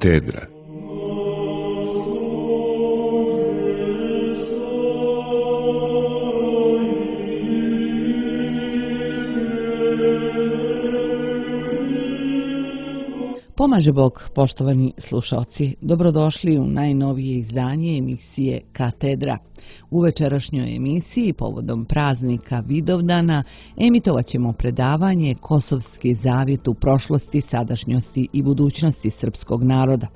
Katedra. Pomaže Bog, poštovani slušalci. Dobrodošli u najnovije izdanje emisije Katedra. U večerašnjoj emisiji, povodom praznika Vidovdana, emitovat ćemo predavanje Kosovski zavjet u prošlosti, sadašnjosti i budućnosti srpskog naroda.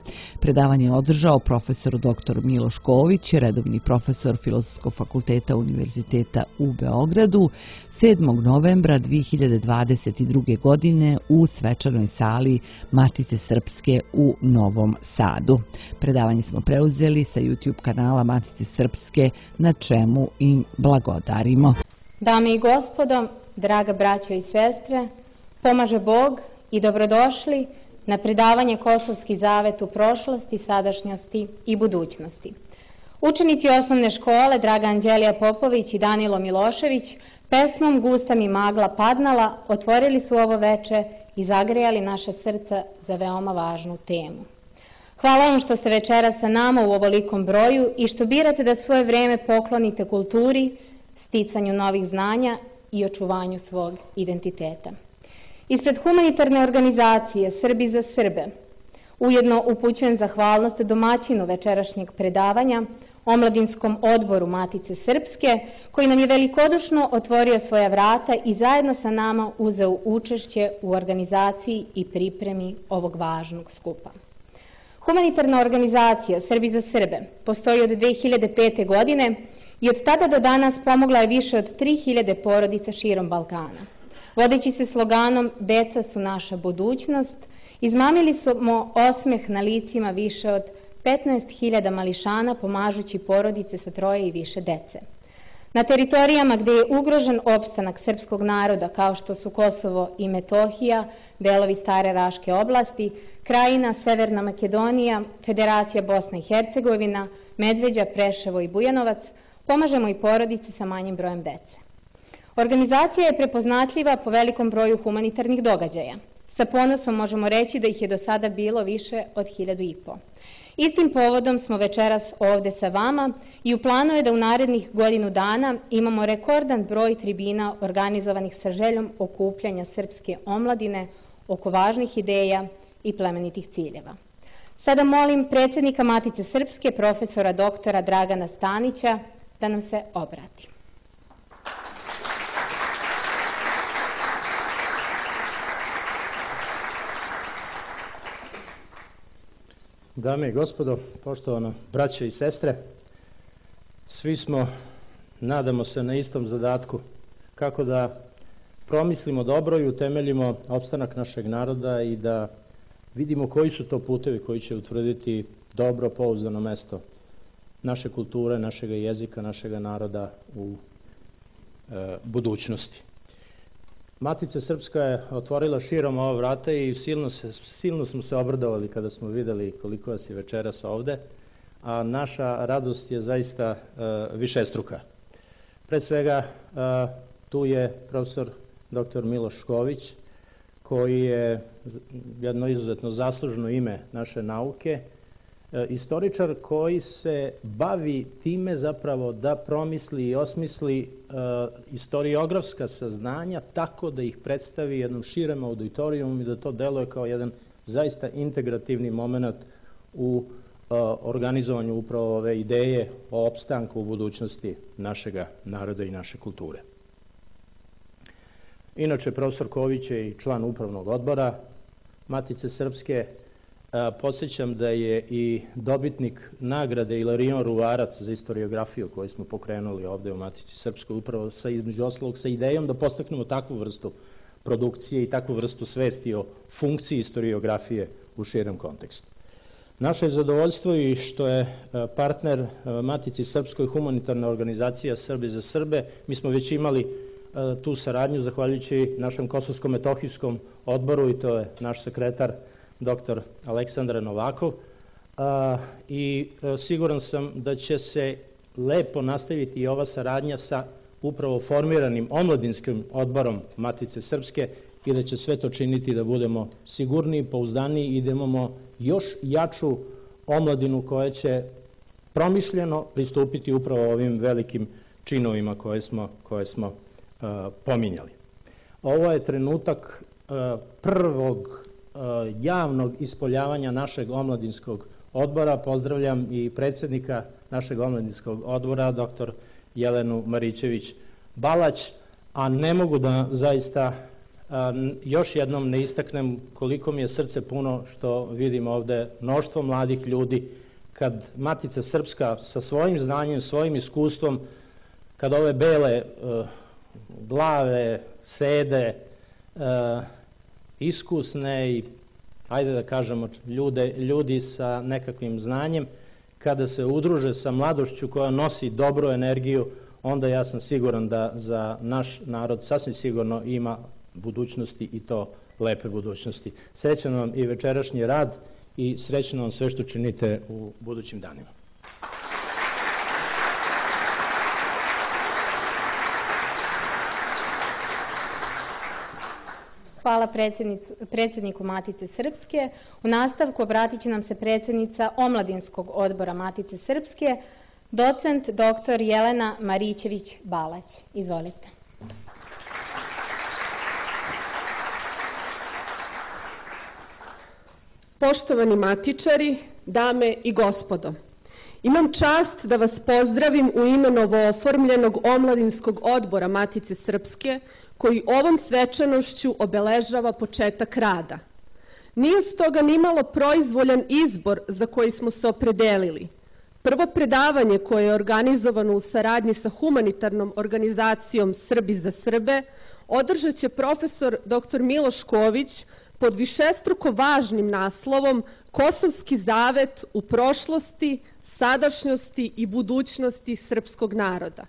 Predavanje je održao profesor dr. Miloš Ković, redovni profesor Filozofskog fakulteta Univerziteta u Beogradu, 7. novembra 2022. godine u svečanoj sali Matice Srpske u Novom Sadu. Predavanje smo preuzeli sa YouTube kanala Matice Srpske, na čemu im blagodarimo. Dame i gospodo, draga braćo i sestre, pomaže Bog i dobrodošli na predavanje Kosovski zavet u prošlosti, sadašnjosti i budućnosti. Učenici osnovne škole Draga Anđelija Popović i Danilo Milošević pesmom Gusta mi magla padnala otvorili su ovo veče i zagrejali naše srca za veoma važnu temu. Hvala vam što ste večeras sa nama u ovolikom broju i što birate da svoje vreme poklonite kulturi, sticanju novih znanja i očuvanju svog identiteta. Ispred humanitarne organizacije Srbi za Srbe ujedno upućujem zahvalnost domaćinu večerašnjeg predavanja, Omladinskom odboru Matice Srpske, koji nam je velikodušno otvorio svoja vrata i zajedno sa nama uzeo učešće u organizaciji i pripremi ovog važnog skupa. Humanitarna organizacija Srbi za Srbe postoji od 2005. godine i od tada do danas pomogla je više od 3000 porodica širom Balkana. Vodeći se sloganom "Deca su naša budućnost", izmamili smo osmeh na licima više od 15.000 mališana pomažući porodice sa 3 i više dece. Na teritorijama gdje je ugrožen opstanak srpskog naroda, kao što su Kosovo i Metohija, delovi Stare Raške oblasti, Krajina, Severna Makedonija, Federacija Bosna i Hercegovina, Medveđa, Preševo i Bujanovac, pomažemo i porodice sa manjim brojem dece. Organizacija je prepoznatljiva po velikom broju humanitarnih događaja. Sa ponosom možemo reći da ih je do sada bilo više od 1500. Istim povodom smo večeras ovde sa vama i u planu je da u narednih godinu dana imamo rekordan broj tribina organizovanih sa željom okupljanja srpske omladine oko važnih ideja i plemenitih ciljeva. Sada molim predsjednika Matice Srpske, profesora doktora Dragana Stanića, da nam se obrati. Dame i gospodo, poštovano braćo i sestre, svi smo, nadamo se, na istom zadatku, kako da promislimo dobro i utemeljimo opstanak našeg naroda i da vidimo koji su to putevi koji će utvrditi dobro, pouzdano mesto naše kulture, našeg jezika, našeg naroda u budućnosti. Matica Srpska je otvorila širom ova vrata i silno smo se obradovali kada smo videli koliko vas je večeras ovde, a naša radost je zaista višestruka. Pre svega, tu je profesor dr. Miloš Ković, koji je jedno izuzetno zaslužno ime naše nauke, istoričar koji se bavi time zapravo da promisli i osmisli istoriografska saznanja tako da ih predstavi jednom širem auditorijumu i da to deluje kao jedan zaista integrativni moment u organizovanju upravo ove ideje o opstanku u budućnosti našega naroda i naše kulture. Inače, profesor Ković je i član upravnog odbora Matice Srpske. Podsjećam da je i dobitnik nagrade Ilarion Ruvarac za istoriografiju koju smo pokrenuli ovde u Matici Srpskoj, upravo između ostalog sa idejom da postaknemo takvu vrstu produkcije i takvu vrstu svesti o funkciji istoriografije u širem kontekstu. Naše je zadovoljstvo i što je partner Matici Srpskoj humanitarna organizacija Srbi za Srbe. Mi smo već imali tu saradnju zahvaljujući našem Kosovsko-metohijskom odboru i to je naš sekretar dr. Aleksandar Novakov, i siguran sam da će se lepo nastaviti i ova saradnja sa upravo formiranim omladinskim odborom Matice Srpske i da će sve to činiti da budemo sigurniji, pouzdaniji i da imamo još jaču omladinu koja će promišljeno pristupiti upravo ovim velikim činovima koje smo pominjali. Ovo je trenutak prvog javnog ispoljavanja našeg omladinskog odbora. Pozdravljam i predsjednika našeg omladinskog odbora, dr. Jelenu Marićević-Balać, a ne mogu da zaista još jednom ne istaknem koliko mi je srce puno što vidim ovde mnoštvo mladih ljudi, kad Matica Srpska sa svojim znanjem, svojim iskustvom, kad ove bele glave sede, iskusne i, ajde da kažemo, ljudi sa nekakvim znanjem, kada se udruže sa mladošću koja nosi dobru energiju, onda ja sam siguran da za naš narod sasvim sigurno ima budućnosti i to lepe budućnosti. Srećan vam i večerašnji rad i srećno vam sve što činite u budućim danima. Hvala predsjedniku Matice Srpske. U nastavku obratit će nam se predsjednica Omladinskog odbora Matice Srpske, docent dr. Jelena Marićević-Balać. Izvolite. Poštovani matičari, dame i gospodo, imam čast da vas pozdravim u ime novooformljenog Omladinskog odbora Matice Srpske, koji ovom svečanošću obeležava početak rada. Nije stoga nimalo proizvoljan izbor za koji smo se opredelili. Prvo predavanje koje je organizovano u saradnji sa humanitarnom organizacijom Srbi za Srbe održat će profesor dr. Miloš Ković pod višestruko važnim naslovom Kosovski zavet u prošlosti, sadašnjosti i budućnosti srpskog naroda.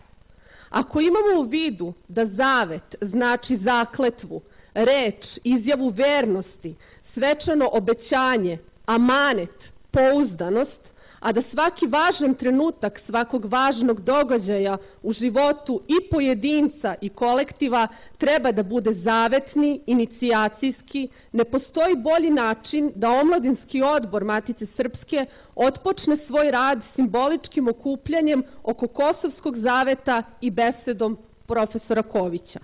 Ako imamo u vidu da zavet znači zakletvu, reč, izjavu vernosti, svečano obećanje, amanet, pouzdanost, a da svaki važan trenutak svakog važnog događaja u životu i pojedinca i kolektiva treba da bude zavetni, inicijacijski, ne postoji bolji način da Omladinski odbor Matice Srpske otpočne svoj rad simboličkim okupljanjem oko Kosovskog zaveta i besedom profesora Kovića.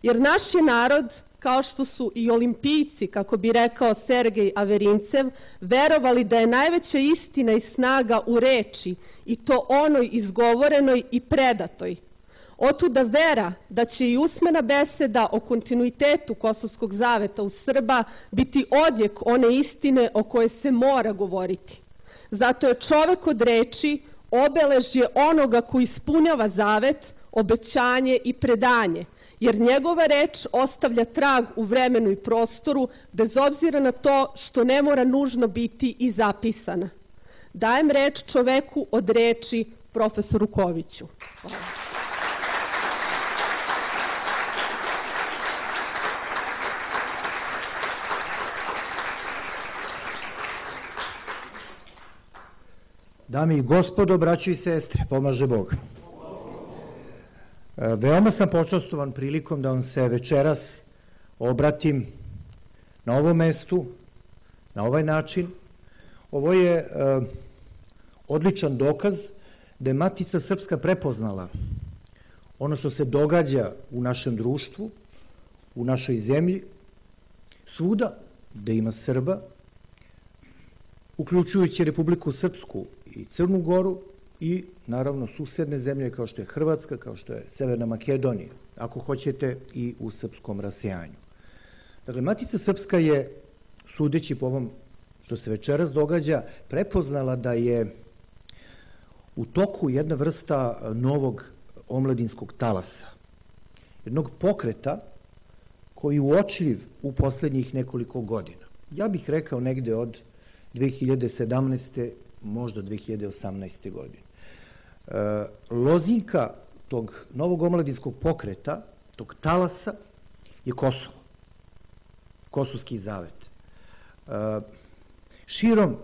Jer naš je narod, kao što su i olimpijci, kako bi rekao Sergej Averincev, verovali da je najveća istina i snaga u reči, i to onoj izgovorenoj i predatoj. Otuda vera da će i usmena beseda o kontinuitetu Kosovskog zaveta u Srba biti odjek one istine o kojoj se mora govoriti. Zato je čovek od reči obeležje onoga koji ispunjava zavet, obećanje i predanje, jer njegova reč ostavlja trag u vremenu i prostoru, bez obzira na to što ne mora nužno biti i zapisana. Dajem reč čoveku od reči, profesoru Koviću. Hvala. Dame i gospodo, braćo i sestre, pomaže Bog. Veoma sam počastovan prilikom da vam se večeras obratim na ovom mestu, na ovaj način. Ovo je odličan dokaz da je Matica Srpska prepoznala ono što se događa u našem društvu, u našoj zemlji, svuda gde ima Srba, uključujući Republiku Srpsku i Crnu Goru i naravno susedne zemlje kao što je Hrvatska, kao što je Severna Makedonija, ako hoćete i u srpskom rasejanju. Dakle, Matica Srpska je, sudeći po ovom što se večeras događa, prepoznala da je u toku jedna vrsta novog omladinskog talasa, jednog pokreta koji je uočljiv u poslednjih nekoliko godina. Ja bih rekao negde od 2017. možda 2018. godine. Lozinka tog novog omladinskog pokreta, tog talasa, je Kosovo. Kosovski zavet. Širom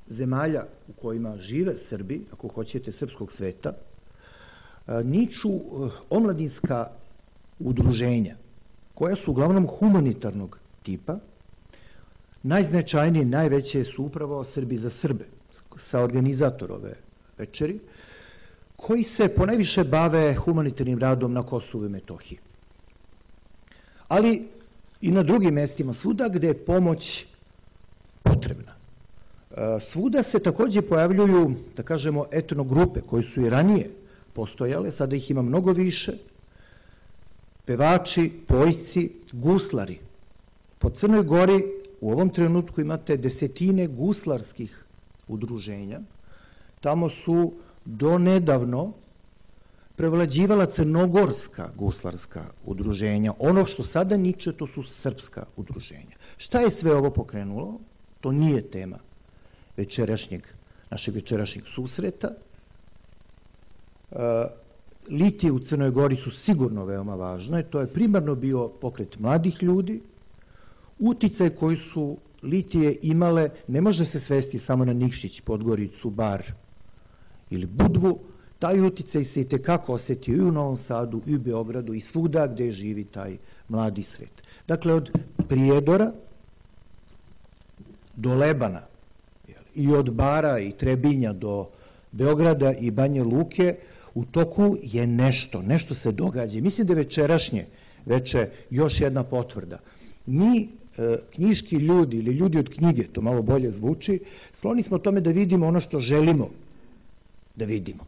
zemalja u kojima žive Srbi, ako hoćete srpskog sveta, niču omladinska udruženja, koja su uglavnom humanitarnog tipa, najznačajnije, najveće su upravo Srbi za Srbe, sa organizator ove večeri, koji se ponajviše bave humanitarnim radom na Kosovu i Metohiji. Ali i na drugim mestima, svuda gde je pomoć potrebna. Svuda se takođe pojavljuju, da kažemo, etnogrupe koje su i ranije postojale, sada ih ima mnogo više, pevači, pojci, guslari. Po Crnoj Gori u ovom trenutku imate desetine guslarskih udruženja. Tamo su donedavno prevlađivala crnogorska guslarska udruženja. Ono što sada niče, to su srpska udruženja. Šta je sve ovo pokrenulo? To nije tema našeg večerašnjeg susreta. Litije u Crnoj Gori su sigurno veoma važne. To je primarno bio pokret mladih ljudi. Uticaj koji su Litije imale ne može se svesti samo na Nikšić, Podgoricu, Bar ili Budvu. Taj uticaj se i tekako osetio i u Novom Sadu, i u Beogradu, i svuda gde živi taj mladi svet. Dakle, od Prijedora do Lebana i od Bara i Trebinja do Beograda i Banje Luke u toku je nešto se događa. Mislim da je večerašnje veče još jedna potvrda. Mi, knjiški ljudi ili ljudi od knjige, to malo bolje zvuči, skloni smo tome da vidimo ono što želimo da vidimo.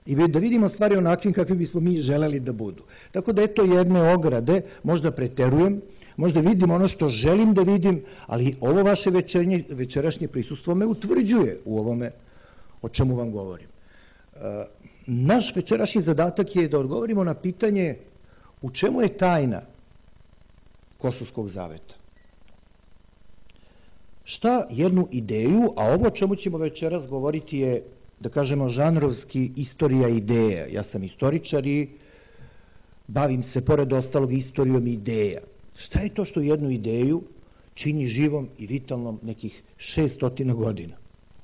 I da vidimo stvari o način kakvi bismo mi želeli da budu. Tako da eto jedne ograde, možda preterujem, možda vidim ono što želim da vidim, ali ovo vaše večerašnje prisustvo me utvrđuje u ovome o čemu vam govorim. Naš večerašnji zadatak je da odgovorimo na pitanje u čemu je tajna Kosovskog zaveta. Šta jednu ideju, a ovo o čemu ćemo večeras govoriti je, da kažemo, žanrovski istorija ideja. Ja sam istoričar i bavim se, pored ostalog, istorijom ideja. Šta je to što jednu ideju čini živom i vitalnom nekih 600 godina?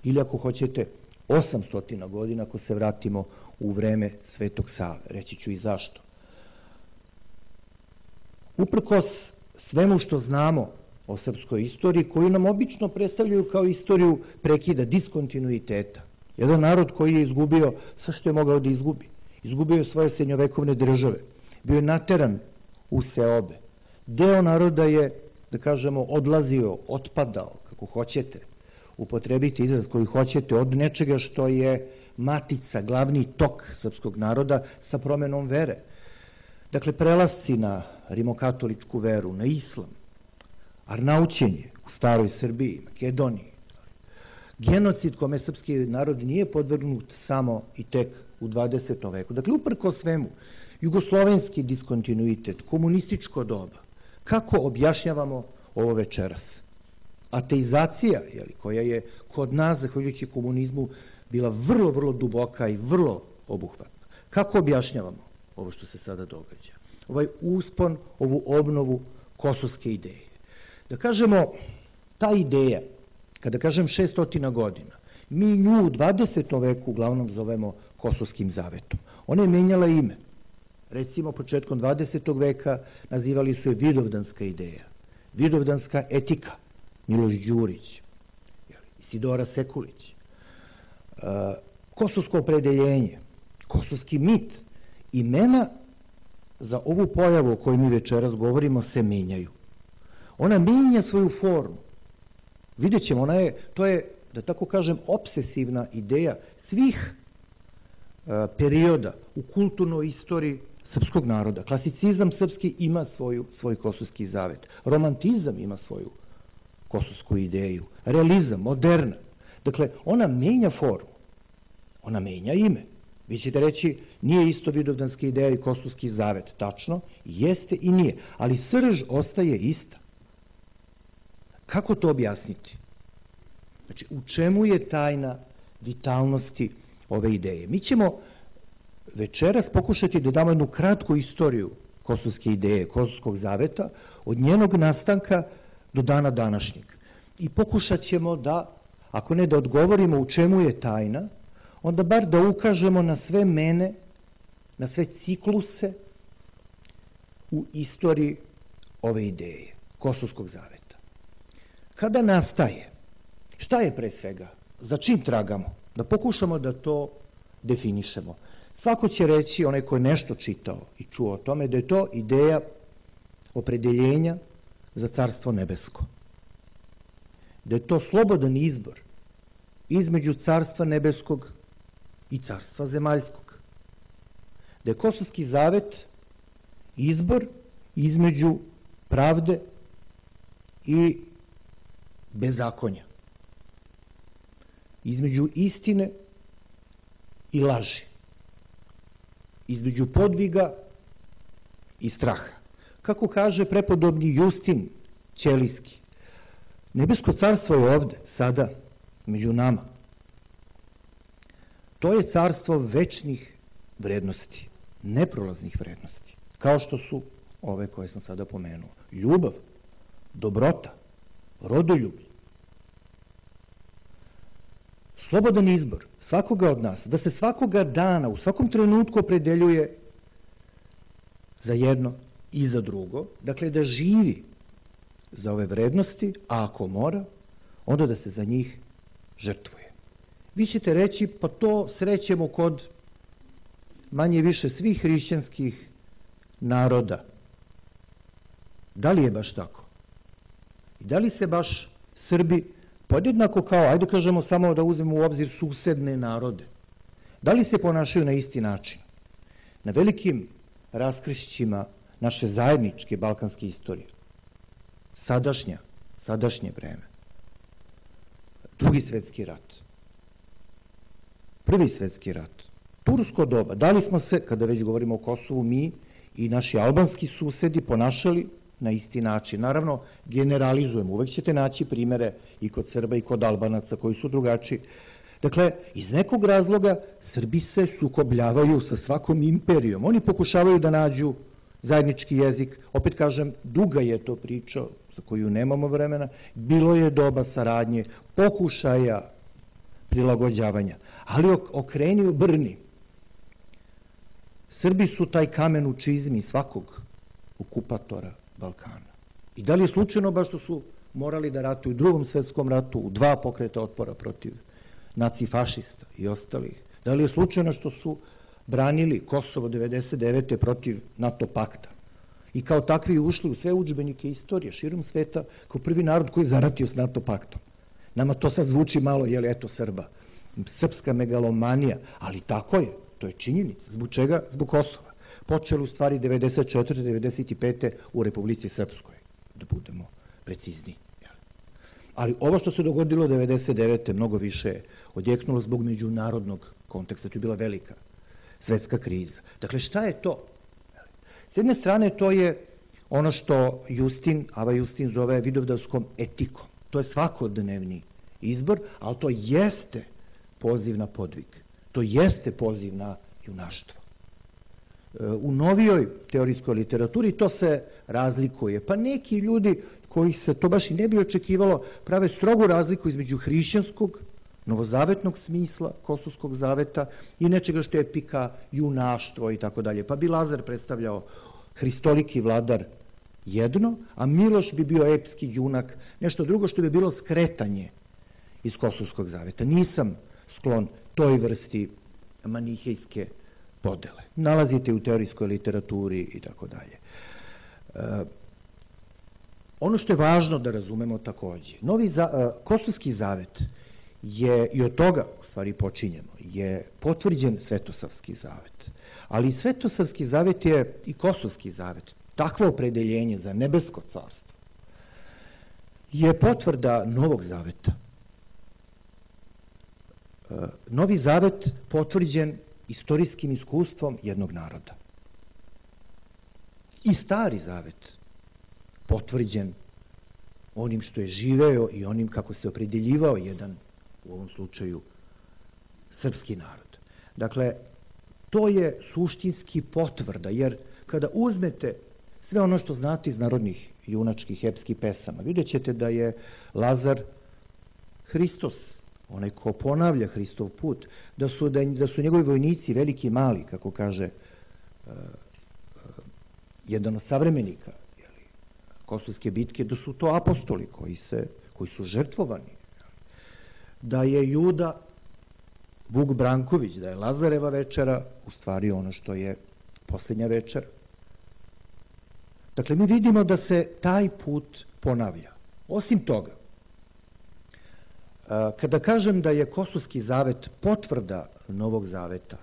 Ili ako hoćete 800 godina, ako se vratimo u vreme Svetog Save. Reći ću i zašto. Uprkos svemu što znamo o srpskoj istoriji, koju nam obično predstavljaju kao istoriju prekida, diskontinuiteta. Jedan narod koji je izgubio sve što je mogao da izgubi. Izgubio je svoje srednjovekovne države. Bio je nateran u seobe. Deo naroda je, da kažemo, odlazio, otpadao, kako hoćete, upotrebiti izraz koji hoćete, od nečega što je matica, glavni tok srpskog naroda sa promenom vere. Dakle, prelasci na rimokatoličku veru, na islam, arnaućenje u staroj Srbiji, Makedoniji, genocid kome srpski narod nije podvrgnut samo i tek u 20. veku. Dakle, uprko svemu, jugoslovenski diskontinuitet, komunističko doba, kako objašnjavamo ovo večeras? Ateizacija, koja je kod nas, zahvaljujući komunizmu, bila vrlo, vrlo duboka i vrlo obuhvatna. Kako objašnjavamo ovo što se sada događa? Ovaj uspon, ovu obnovu kosovske ideje. Da kažemo, ta ideja, kada kažem 600 godina, mi nju u 20. veku uglavnom zovemo Kosovskim zavetom. Ona je menjala ime. Recimo, početkom 20. veka nazivali su je Vidovdanska ideja, Vidovdanska etika, Miloš Đurić, Isidora Sekulić, Kosovsko opredeljenje, Kosovski mit. Imena za ovu pojavu o kojoj mi večeras govorimo se menjaju. Ona menja svoju formu. Vidjet ćemo, to je, da tako kažem, obsesivna ideja svih perioda u kulturnoj istoriji srpskog naroda. Klasicizam srpski ima svoj kosovski zavet. Romantizam ima svoju kosovsku ideju. Realizam, moderna. Dakle, ona menja formu. Ona menja ime. Vi ćete reći, nije isto Vidovdanska ideja i Kosovski zavet. Tačno, jeste i nije. Ali srž ostaje ista. Kako to objasniti? Znači, u čemu je tajna vitalnosti ove ideje? Mi ćemo večeras pokušati da damo jednu kratku istoriju kosovske ideje, Kosovskog zaveta, od njenog nastanka do dana današnjeg. I pokušat ćemo da, ako ne da odgovorimo u čemu je tajna, onda bar da ukažemo na sve mene, na sve cikluse u istoriji ove ideje, Kosovskog zaveta. kada nastaje? Šta je pre svega? Za čim tragamo? Da pokušamo da to definišemo. Svako će reći, onaj ko je nešto čitao i čuo o tome, da je to ideja opredeljenja za Carstvo nebesko. Da je to slobodan izbor između Carstva nebeskog i Carstva zemaljskog. Da je Kosovski zavet izbor između pravde i bezakonja. Između istine i laži. Između podviga i straha. Kako kaže prepodobni Justin Ćelijski, nebesko carstvo je ovde, sada, među nama. To je carstvo večnih vrednosti, neprolaznih vrednosti, kao što su ove koje sam sada pomenuo. Ljubav, dobrota, rodoljublje. Slobodan izbor svakoga od nas, da se svakoga dana, u svakom trenutku opredeljuje za jedno i za drugo, dakle da živi za ove vrednosti, a ako mora, onda da se za njih žrtvuje. Vi ćete reći, pa to srećemo kod manje više svih hrišćanskih naroda. Da li je baš tako? I da li se baš Srbi podjednako kao, ajde kažemo samo da uzmemo u obzir susedne narode, da li se ponašaju na isti način? Na velikim raskrišćima naše zajedničke balkanske istorije, sadašnje vreme, Drugi svjetski rat, Prvi svjetski rat, tursko doba, da li smo se, kada već govorimo o Kosovu, mi i naši albanski susedi ponašali na isti način? Naravno, generalizujemo, uvek ćete naći primere i kod Srba i kod Albanaca koji su drugačiji. Dakle, iz nekog razloga Srbi se sukobljavaju sa svakom imperijom. Oni pokušavaju da nađu zajednički jezik. Opet kažem, duga je to priča za koju nemamo vremena. Bilo je doba saradnje, pokušaja prilagođavanja. Ali okreni obrni. Srbi su taj kamen u čizmi svakog okupatora Balkana. I da li je slučajno baš što su morali da ratuju u Drugom svjetskom ratu, u 2 pokreta otpora protiv nacifašista i ostalih? Da li je slučajno što su branili Kosovo 99. protiv NATO pakta? I kao takvi ušli u sve udžbenike istorije širom sveta kao prvi narod koji je zaratio s NATO paktom. Nama to sad zvuči malo, jel, eto Srba. Srpska megalomanija, ali tako je, to je činjenica. Zbog čega? Zbog Kosova. Počelo u stvari 94. 95. u Republici Srpskoj, da budemo precizni. Ali ovo što se dogodilo 99. mnogo više je odjeknulo zbog međunarodnog konteksta. To je bila velika svetska kriza. Dakle, šta je to? S jedne strane, to je ono što Ava Justin zove vidovdanskom etikom. To je svakodnevni izbor, ali to jeste poziv na podvig. To jeste poziv na junaštvo. U novijoj teorijskoj literaturi to se razlikuje. Pa neki ljudi koji se to baš i ne bi očekivalo prave strogu razliku između hrišćanskog, novozavetnog smisla Kosovskog zaveta i nečega što je epika, junaštvo i tako dalje. Pa bi Lazar predstavljao hristoliki vladar jedno, a Miloš bi bio epski junak, nešto drugo što bi bilo skretanje iz Kosovskog zaveta. Nisam sklon toj vrsti manihejske podele. Nalazite u teorijskoj literaturi i tako dalje. Ono što je važno da razumemo takođe, Kosovski zavet je, i od toga u stvari počinjemo, je potvrđen Svetosavski zavet. Ali Svetosavski zavet je i Kosovski zavet. Takvo opredeljenje za nebesko carstvo je potvrda Novog zaveta. Novi zavet potvrđen istorijskim iskustvom jednog naroda. I Stari zavet potvrđen onim što je živeo i onim kako se opredeljivao jedan, u ovom slučaju, srpski narod. Dakle, to je suštinski potvrda, jer kada uzmete sve ono što znate iz narodnih junačkih epskih pesama, vidjet ćete da je Lazar Hristos, onaj ko ponavlja Hristov put, da su njegovi vojnici veliki i mali, kako kaže jedan od savremenika Kosovske bitke, da su to apostoli koji su žrtvovani, da je Juda Vuk Branković, da je Lazareva večera u stvari ono što je posljednja večera. Dakle, mi vidimo da se taj put ponavlja. Osim toga, kada kažem da je Kosovski zavet potvrda Novog zaveta,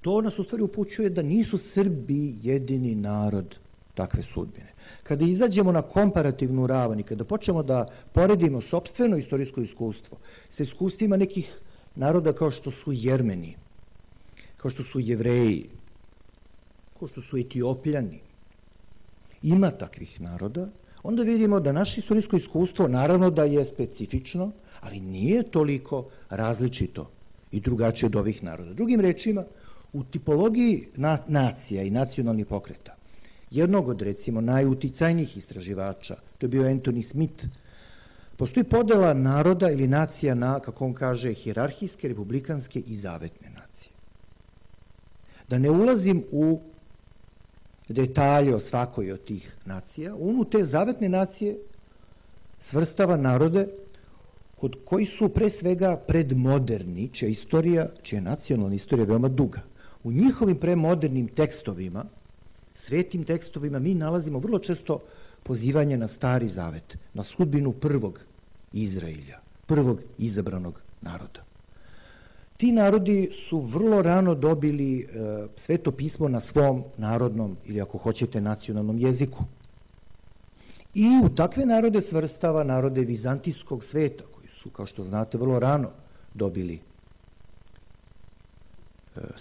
to nas u stvari upućuje da nisu Srbi jedini narod takve sudbine. Kada izađemo na komparativnu ravan i kada počnemo da poredimo sopstveno istorijsko iskustvo sa iskustvima nekih naroda kao što su Jermeni, kao što su Jevreji, kao što su Etiopljani, ima takvih naroda, onda vidimo da naše istorijsko iskustvo naravno da je specifično, ali nije toliko različito i drugačije od ovih naroda. Drugim rečima, u tipologiji nacija i nacionalnih pokreta, jednog od recimo najuticajnijih istraživača, to je bio Anthony Smith, postoji podela naroda ili nacija na, kako on kaže, hijerarhijske, republikanske i zavetne nacije. Da ne ulazim u detalje o svakoj od tih nacija, on u te zavetne nacije svrstava narode kod koji su pre svega predmoderni, čija istorija, čija nacionalna istorija je veoma duga. U njihovim premodernim tekstovima, svetim tekstovima, mi nalazimo vrlo često pozivanje na Stari zavet, na sudbinu prvog Izraelja, prvog izabranog naroda. Ti narodi su vrlo rano dobili sveto pismo na svom narodnom ili ako hoćete nacionalnom jeziku. I u takve narode svrstava narode vizantijskog sveta, koji su, kao što znate, vrlo rano dobili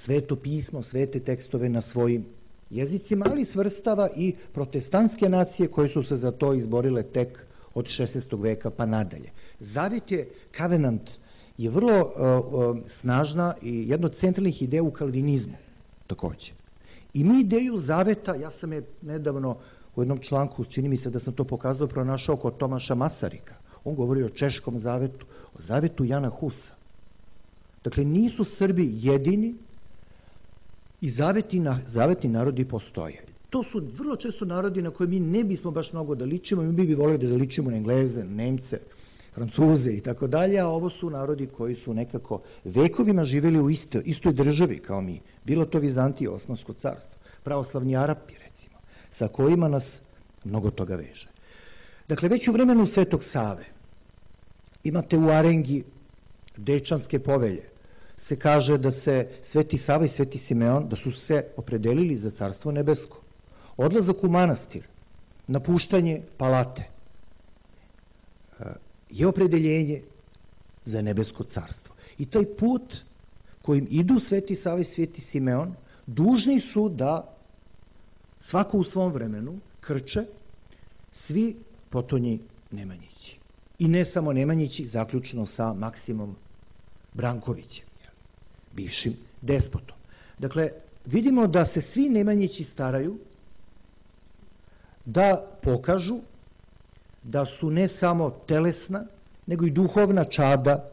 sveto pismo, svete tekstove na svojim jezicima, ali svrstava i protestantske nacije koje su se za to izborile tek od 16. veka pa nadalje. Zavet je, Covenant, je vrlo snažna i jedna od centralnih ideja u kalvinizmu takođe. I mi ideju zaveta, ja sam je nedavno u jednom članku, čini mi se da sam to pokazao, pronašao kod Tomaša Masarika. On govori o češkom zavetu, o zavetu Jana Husa. Dakle, nisu Srbi jedini i zavetni narodi postoje. To su vrlo često narodi na koje mi ne bismo baš mnogo da ličimo, mi bi volili da ličimo na Engleze, Nemce, Francuze i tako dalje, a ovo su narodi koji su nekako vekovima živjeli u istoj državi kao mi. Bilo to Vizantija, Osmansko carstvo, pravoslavni Arapi, recimo, sa kojima nas mnogo toga veže. Dakle, već u vremenu Svetog Save imate u arengi Dečanske povelje, se kaže da se Sveti Sava i Sveti Simeon, da su se opredelili za Carstvo nebesko. Odlazak u manastir, napuštanje palate, je opredeljenje za nebesko carstvo. I taj put kojim idu Sveti Sava i Sveti Simeon, dužni su da svako u svom vremenu krče svi potonji Nemanjići. I ne samo Nemanjići, zaključno sa Maksimom Brankovićem, bivšim despotom. Dakle, vidimo da se svi Nemanjići staraju da pokažu da su ne samo telesna, nego i duhovna čada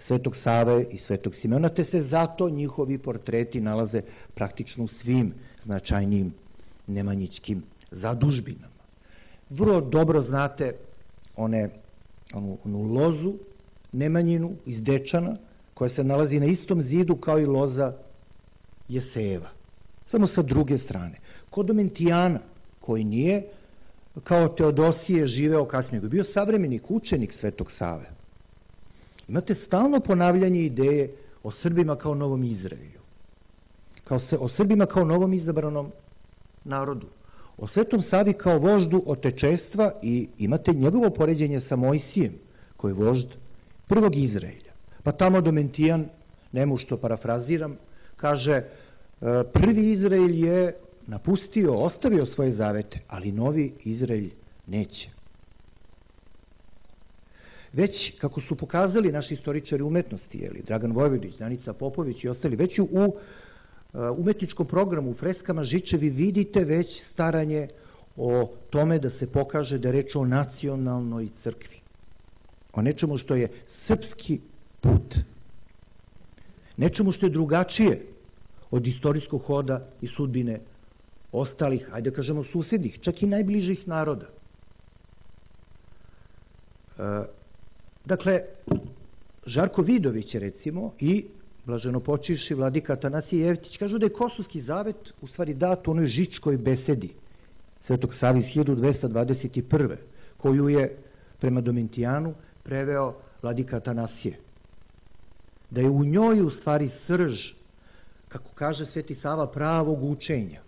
Svetog Save i Svetog Simeona, te se zato njihovi portreti nalaze praktično u svim značajnijim nemanjićkim zadužbinama. Vrlo dobro znate onu lozu Nemanjinu iz Dečana, koja se nalazi na istom zidu kao i loza Jeseva, samo sa druge strane. Kod Domentijana, koji nije kao Teodosije živeo kasnije, nego je bio savremenik, učenik Svetog Save. Imate stalno ponavljanje ideje o Srbima kao novom Izraelju, o Srbima kao novom izabranom narodu, o Svetom Savi kao voždu otečestva i imate njegovo poređenje sa Mojsijem, koji je vožd prvog Izraelja. Pa tamo Domentijan, nemu što parafraziram, kaže prvi Izrael je napustio, ostavio svoje zavete, ali novi Izrael neće. Već, kako su pokazali naši istoričari umetnosti, Dragan Vojvodić, Danica Popović i ostali, već u umetničkom programu, u freskama Žičevi, vidite već staranje o tome da se pokaže da je reč o nacionalnoj crkvi, o nečemu što je srpski put, nečemu što je drugačije od istorijskog hoda i sudbine ostalih, ajde da kažemo susjednih, čak i najbližih naroda. Dakle, Žarko Vidović je recimo i blaženopočivši vladika Atanasije Jevtić kažu da je Kosovski zavet u stvari dat u onoj Žičkoj besedi Svetog Save iz 1221. koju je prema Domitijanu preveo vladika Atanasije. Da je u njoj u stvari srž, kako kaže Sveti Sava, pravog učenja.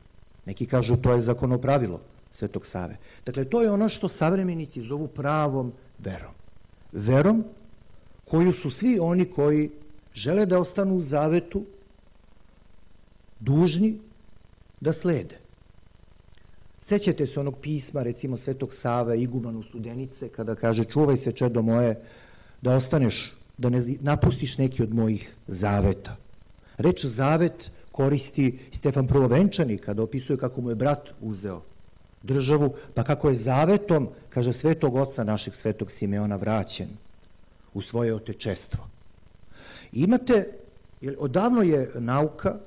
Neki kažu to je zakonopravilo Svetog Save. Dakle, to je ono što savremenici zovu pravom verom. Verom koju su svi oni koji žele da ostanu u zavetu dužni da slede. Sećate se onog pisma, recimo, Svetog Save igumanu Studenice, kada kaže: čuvaj se, čedo moje, da ostaneš, da ne napustiš neki od mojih zaveta. Reč zavet koristi Stefan Prvovenčani kada opisuje kako mu je brat uzeo državu, pa kako je zavetom, kaže, Svetog Oca našeg Svetog Simeona vraćen u svoje otečestvo. Imate, odavno je nauka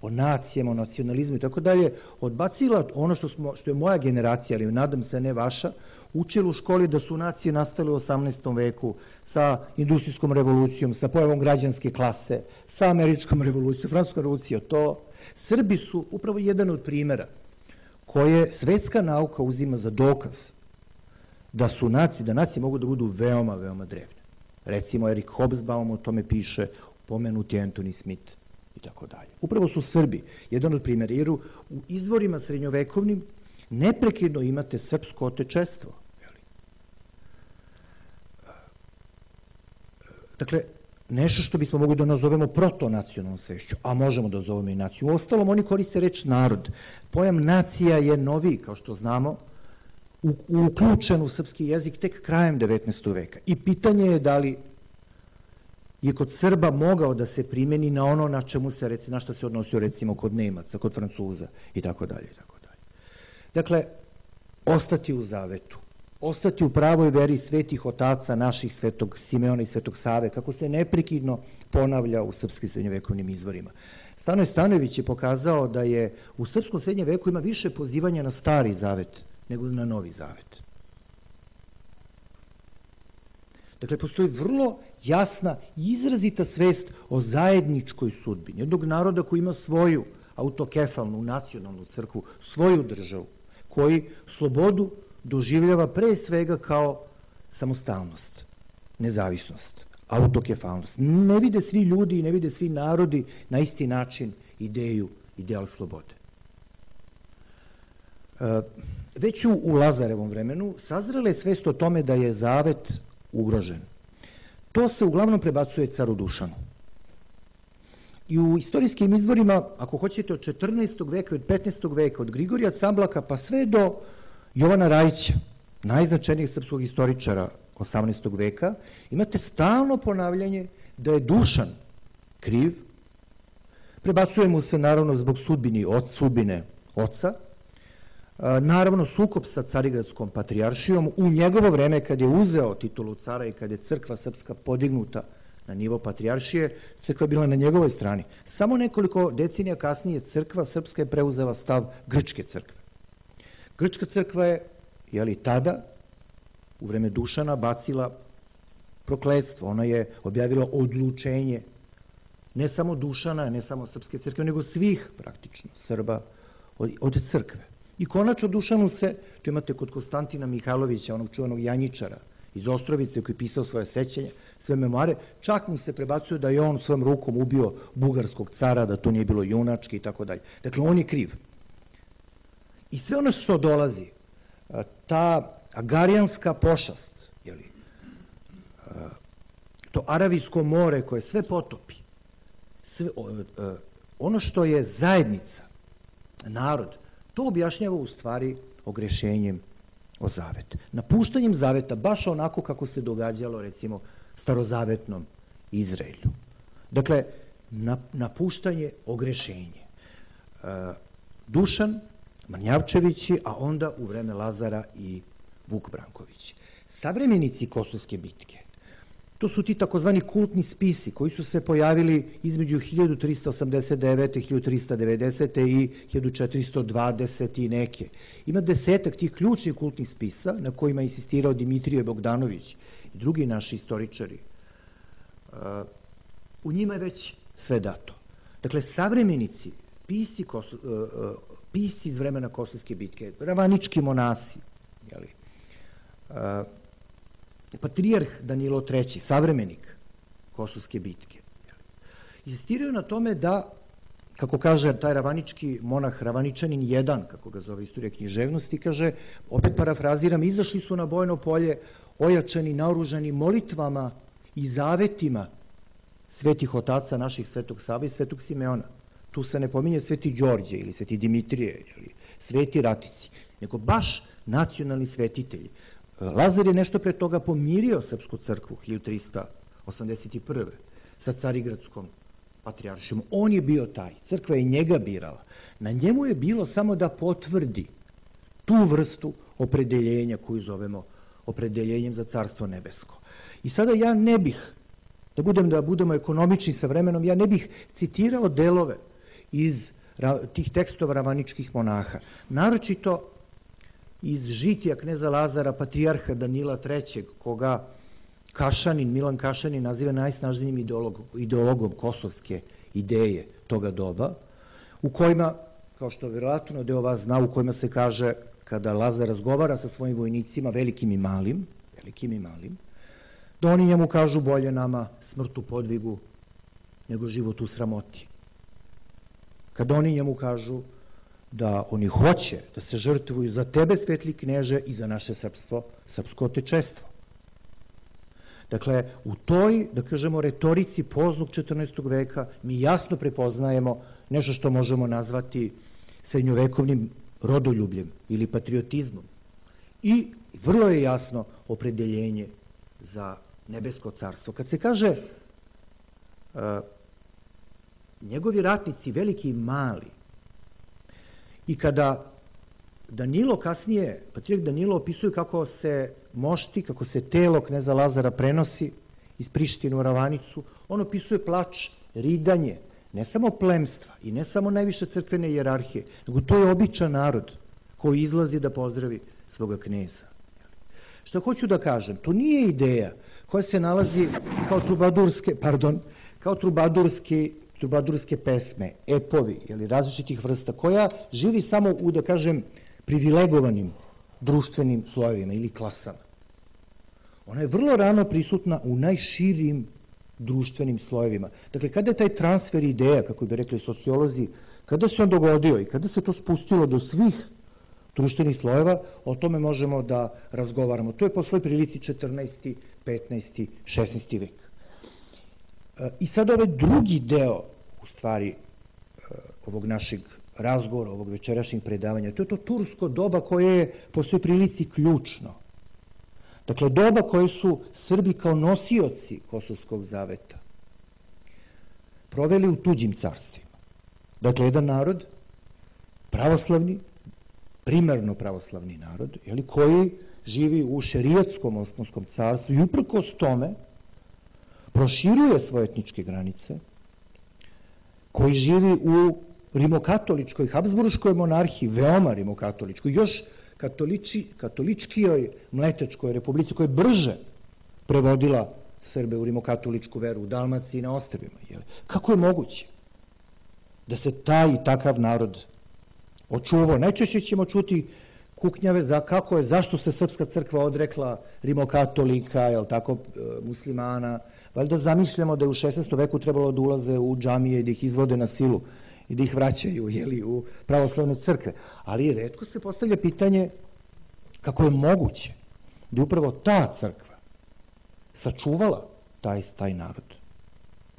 o nacijama, o nacionalizmu i tako dalje odbacila ono što je moja generacija, ali nadam se ne vaša, učila u školi da su nacije nastale u 18. veku sa industrijskom revolucijom, sa pojavom građanske klase, sa američkom revolucijom, francuskom revolucijom. To Srbi su upravo jedan od primjera koje svetska nauka uzima za dokaz da su nacije, da nacije mogu da budu veoma, veoma drevne. Recimo, Erik Hobsbawm o tome piše, pomenuti Anthony Smith i tako dalje. Upravo su Srbi jedan od primjera, jer u izvorima srednjovekovnim neprekidno imate srpsko otečestvo. Dakle, nešto što bismo mogli da nazovemo protonacionalnom svešću, a možemo da zovemo i naciju. U ostalom, oni koriste reč narod. Pojam nacija je novi, kao što znamo, uključen u srpski jezik tek krajem 19. veka. I pitanje je da li je kod Srba mogao da se primeni na ono na čemu se, na što se odnosio recimo kod Nemaca, kod Francuza i tako dalje. Dakle, ostati u zavetu, ostati u pravoj veri svetih otaca naših, Svetog Simeona i Svetog Save, kako se neprekidno ponavlja u srpskim srednjovekovnim izvorima. Stanoje Stanojević je pokazao da je u srpskom srednjem veku ima više pozivanja na stari zavet nego na novi zavet. Dakle, postoji vrlo jasna i izrazita svest o zajedničkoj sudbini jednog naroda koji ima svoju autokefalnu, nacionalnu crkvu, svoju državu, koji slobodu doživljava pre svega kao samostalnost, nezavisnost, autokefalnost. Ne vide svi ljudi i ne vide svi narodi na isti način ideal slobode. Već u Lazarevom vremenu sazrela je svest o tome da je zavet ugrožen. To se uglavnom prebacuje caru Dušanu. I u istorijskim izvorima, ako hoćete, od 14. veka, od 15. veka, od Grigorija Camblaka pa sve do Jovana Rajića, najznačajnijeg srpskog istoričara 18. veka, imate stalno ponavljanje da je Dušan kriv. Prebacuje mu se naravno zbog sudbine oca, naravno sukob sa Carigradskom patrijaršijom u njegovo vreme kad je uzeo titulu cara i kad je crkva srpska podignuta na nivo patrijaršije, crkva je bila na njegovoj strani. Samo nekoliko decenija kasnije crkva srpska je preuzela stav grčke crkve. Grčka crkva je, tada, u vreme Dušana, bacila prokletstvo. Ona je objavila odlučenje ne samo Dušana, ne samo srpske crkve, nego svih praktično Srba od crkve. I konačno Dušanu se, to imate kod Konstantina Mihajlovića, onog čuvanog Janjičara iz Ostrovice koji je pisao svoje sećanje, sve memoare, čak mu se prebacuje da je on svojom rukom ubio bugarskog cara, da to nije bilo junački i tako dalje. Dakle, on je kriv. I sve ono što dolazi, ta agarijanska pošast, to Aravijsko more koje sve potopi, ono što je zajednica, narod, to objašnjava u stvari ogrešenjem o zavet. Napuštanjem zaveta, baš onako kako se događalo recimo starozavetnom Izraelju. Dakle, napuštanje, ogrešenje. Dušan, Manjavčevići, a onda u vreme Lazara i Vuk Branković. Savremenici Kosovske bitke, to su ti takozvani kultni spisi koji su se pojavili između 1389. 1390. i 1420. i neke. Ima desetak tih ključnih kultnih spisa na kojima je insistirao Dimitrije Bogdanović i drugi naši istoričari, u njima je već sve dato. Dakle, savremenici, pisci iz vremena Kosovske bitke, ravanički monasi, patrijarh Danilo III, savremenik Kosovske bitke, insistiraju na tome da, kako kaže taj ravanički monah, ravaničanin jedan, kako ga zove istorija književnosti, kaže, opet parafraziram, izašli su na bojno polje ojačani, naoružani molitvama i zavetima svetih otaca naših, Svetog Save i Svetog Simeona. Tu se ne pominje Sveti Đorđe ili Sveti Dimitrije ili Sveti Ratici, nego baš nacionalni svetitelji. Lazar je nešto pre toga pomirio Srpsku crkvu 1381. sa Carigradskom patrijaršijom. On je bio taj, crkva je njega birala. Na njemu je bilo samo da potvrdi tu vrstu opredeljenja koju zovemo opredeljenjem za Carstvo nebesko. I sada ja ne bih, da budemo ekonomični sa vremenom, ja ne bih citirao delove iz tih tekstova ravaničkih monaha, naročito iz žitija kneza Lazara, patrijarha Danila III, koga Milan Kašanin naziva najsnažnijim ideologom kosovske ideje toga doba, u kojima, kao što vjerojatno deo vas zna, u kojima se kaže, kada Lazar razgovara sa svojim vojnicima, velikim i malim, da oni njemu kažu bolje nama smrt u podvigu nego život u sramoti. Kada oni njemu kažu da oni hoće da se žrtvuju za tebe, svetli kneže, i za naše srpstvo, srpsko otečestvo. Dakle, u toj, da kažemo, retorici poznog 14. veka mi jasno prepoznajemo nešto što možemo nazvati srednjovekovnim rodoljubljem ili patriotizmom. I vrlo je jasno opredeljenje za nebesko carstvo. Kad se kaže njegovi ratnici, veliki i mali, i kada Danilo kasnije, patrijarh Danilo opisuje kako se mošti, kako se telo kneza Lazara prenosi iz Prištine u Ravanicu, on opisuje plač, ridanje, ne samo plemstva i ne samo najviše crkvene hijerarhije, nego to je običan narod koji izlazi da pozdravi svoga kneza. Što hoću da kažem, to nije ideja koja se nalazi kao trubadurske pesme, epovi ili različitih vrsta, koja živi samo u, da kažem, privilegovanim društvenim slojevima ili klasama. Ona je vrlo rano prisutna u najširim društvenim slojevima. Dakle, kada je taj transfer ideja, kako bi rekli sociolozi, kada se on dogodio i kada se to spustilo do svih društvenih slojeva, o tome možemo da razgovaramo. To je po svoj prilici 14., 15., 16. vek. I sad ovaj drugi deo, u stvari, ovog našeg razgovora, ovog večerašnjeg predavanja, to je to tursko doba koje je po svoj prilici ključno. Dakle, doba koje su Srbi kao nosioci Kosovskog zaveta proveli u tuđim carstvima. Dakle, jedan narod, pravoslavni, primarno pravoslavni narod, koji živi u šerijatskom Osmanskom carstvu i uprkos tome proširuje svoje etničke granice, koji živi u rimokatoličkoj, habsburškoj monarhiji, veoma rimokatoličkoj, još katoličkijoj Mletečkoj republici, koja je brže prevodila Srbe u rimokatoličku veru u Dalmaciji i na ostrvima. Kako je moguće da se taj i takav narod očuvao? Najčešće ćemo čuti kuknjave za zašto se Srpska crkva odrekla rimokatolika, muslimana. Valjda zamišljamo da je u 16. veku trebalo da ulaze u džamije i da ih izvode na silu i da ih vraćaju u pravoslavne crkve. Ali retko se postavlja pitanje kako je moguće da je upravo ta crkva sačuvala taj narod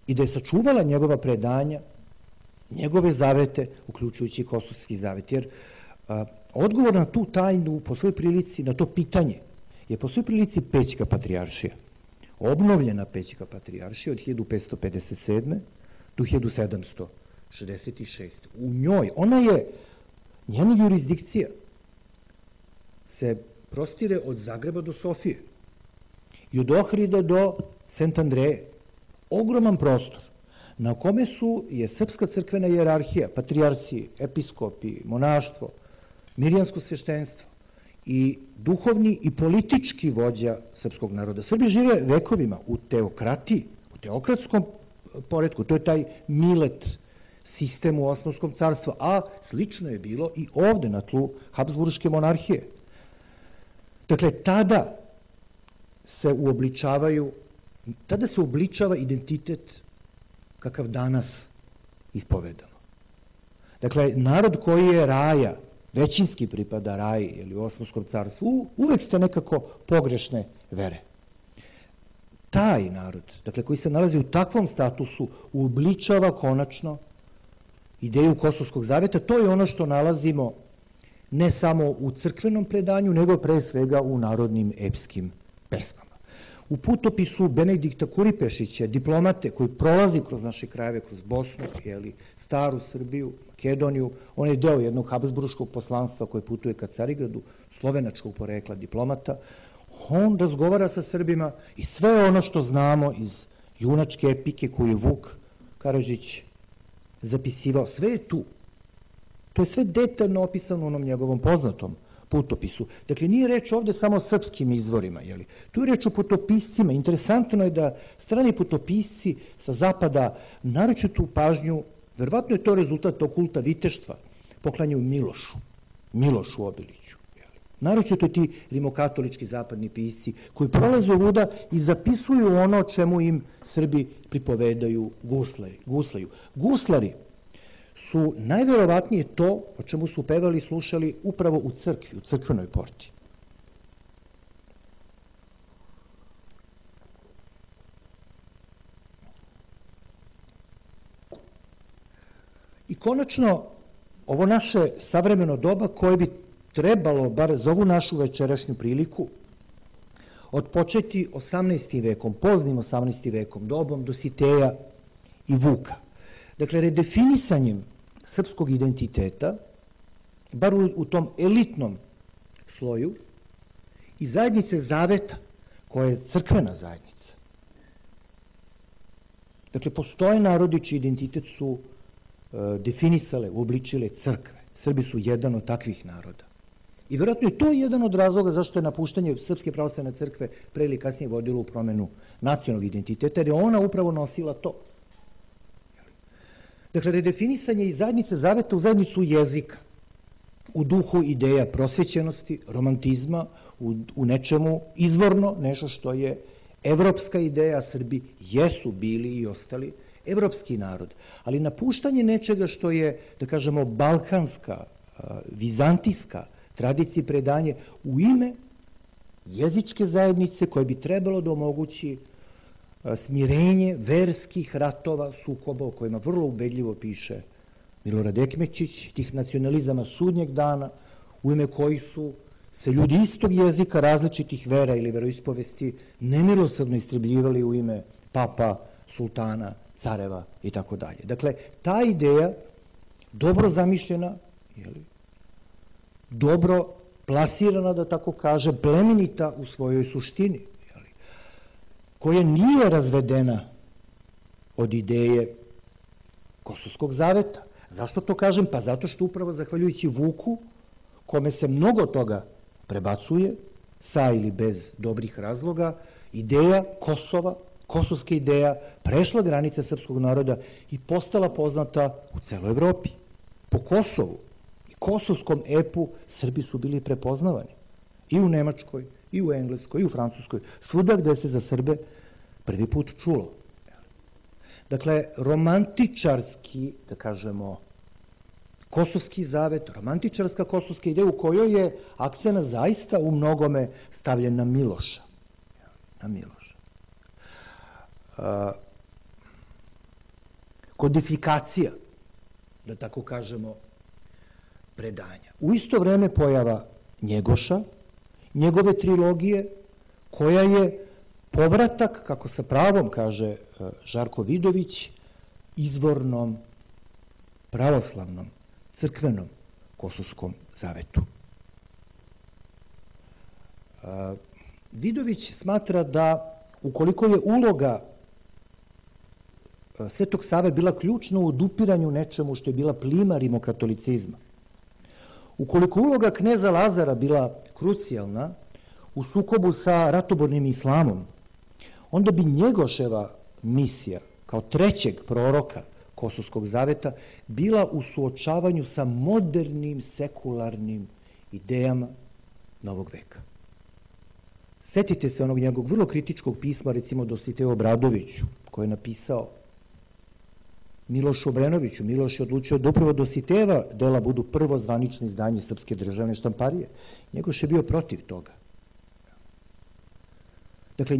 i da je sačuvala njegova predanja, njegove zavete, uključujući Kosovski zavet. Jer odgovor na tu tajnu, po svoj prilici, na to pitanje, je po svoj prilici Pećka patrijaršija. Obnovljena Pećka patrijaršija od 1557. do 1766. U njoj, njena jurisdikcija se prostire od Zagreba do Sofije i od Ohrida do Sent Andreje. Ogroman prostor na kome je srpska crkvena hijerarhija, patrijarsi, episkopi, monaštvo, mirjansko sveštenstvo i duhovni i politički vođa srpskog naroda. Srbi žive vekovima u teokratiji, u teokratskom poretku, to je taj milet sistem u Osmanskom carstvu, a slično je bilo i ovde na tlu Habsburške monarhije. Dakle, tada se uobličava identitet kakav danas ispovedamo. Dakle, narod koji je raja, većinski pripada raji ili Osmanskom carstvu, uvek ste nekako pogrešne vere. Taj narod, dakle, koji se nalazi u takvom statusu, uobličava konačno ideju Kosovskog zaveta. To je ono što nalazimo ne samo u crkvenom predanju, nego pre svega u narodnim epskim pesmama. U putopisu Benedikta Kuripešića, diplomate koji prolazi kroz naše krajeve, kroz Bosnu, staru Srbiju, Makedoniju, on je deo jednog habsburškog poslanstva koje putuje ka Carigradu, slovenačkog porekla diplomata, on razgovara sa Srbima i sve ono što znamo iz junačke epike koju je Vuk Karadžić zapisivao, sve je tu. To je sve detaljno opisano u onom njegovom poznatom putopisu. Dakle, nije reč ovde samo o srpskim izvorima, tu je reč o putopiscima. Interesantno je da strani putopisci sa zapada naročitu pažnju, verovatno je to rezultat tog kulta viteštva, poklanjaju Milošu Obiliću. Naročito ti rimokatolički zapadni pisci koji prolaze ovuda i zapisuju ono o čemu im Srbi pripovedaju guslaju. Guslari su najverovatnije to o čemu su pevali i slušali upravo u crkvi, u crkvenoj porti. I konačno, ovo naše savremeno doba koje bi trebalo, bar za ovu našu večerašnju priliku, odpočeti 18. vekom, poznim 18. vekom, dobom Dositeja i Vuka. Dakle, redefinisanjem srpskog identiteta, bar u tom elitnom sloju, i zajednice zaveta, koja je crkvena zajednica. Dakle, postoje narodi čiji identitet su definisale, uobličile crkve. Srbi su jedan od takvih naroda. I vjerojatno je to jedan od razloga zašto je napuštanje Srpske pravoslavne crkve pre ili kasnije vodilo u promenu nacionalnog identiteta, jer je ona upravo nosila to. Dakle, redefinisanje iz zajednice zaveta u zajednicu jezika, u duhu ideja prosvećenosti, romantizma, u nečemu izvorno, nešto što je evropska ideja. Srbi jesu bili i ostali evropski narod, ali napuštanje nečega što je, da kažemo, balkanska, vizantijska tradicija, predanje u ime jezičke zajednice koje bi trebalo da omogući smirenje verskih ratova, sukoba o kojima vrlo ubedljivo piše Milorad Ekmećić, tih nacionalizama sudnjeg dana, u ime kojih su se ljudi istog jezika, različitih vera ili veroispovesti nemilosrdno istrebljivali u ime papa, sultana, careva i tako dalje. Dakle, ta ideja, dobro zamišljena, dobro plasirana, da tako kaže, plemenita u svojoj suštini, koja nije razvedena od ideje Kosovskog zaveta. Zašto to kažem? Pa zato što upravo zahvaljujući Vuku, kome se mnogo toga prebacuje, sa ili bez dobrih razloga, ideja Kosova, kosovska ideja, prešla granice srpskog naroda i postala poznata u celoj Evropi. Po Kosovu i kosovskom epu Srbi su bili prepoznavani i u Nemačkoj, i u Engleskoj, i u Francuskoj, svuda gde se za Srbe prvi put čulo. Dakle, romantičarski, da kažemo, kosovski zavet, romantičarska kosovska ideja u kojoj je akcena zaista u mnogome stavljen na Miloša. Na Miloša. Kodifikacija, da tako kažemo, predanja. U isto vreme pojava Njegoša, njegove trilogije, koja je povratak, kako sa pravom kaže Žarko Vidović, izvornom, pravoslavnom, crkvenom kosovskom zavetu. Vidović smatra da ukoliko je uloga Svetog Save bila ključna u odupiranju nečemu što je bila plima rimokatolicizma, Ukoliko uloga kneza Lazara bila krucijalna u sukobu sa ratobornim islamom, onda bi Njegoševa misija kao trećeg proroka Kosovskog zaveta bila u suočavanju sa modernim sekularnim idejama novog veka. Setite se onog njegovog vrlo kritičkog pisma, recimo Dositeju Obradoviću, koji je napisao Milošu Obrenoviću. Miloš je odlučio da upravo Dositejeva dela budu prvo zvanično izdanje Srpske državne štamparije. Njegoš je bio protiv toga. Dakle,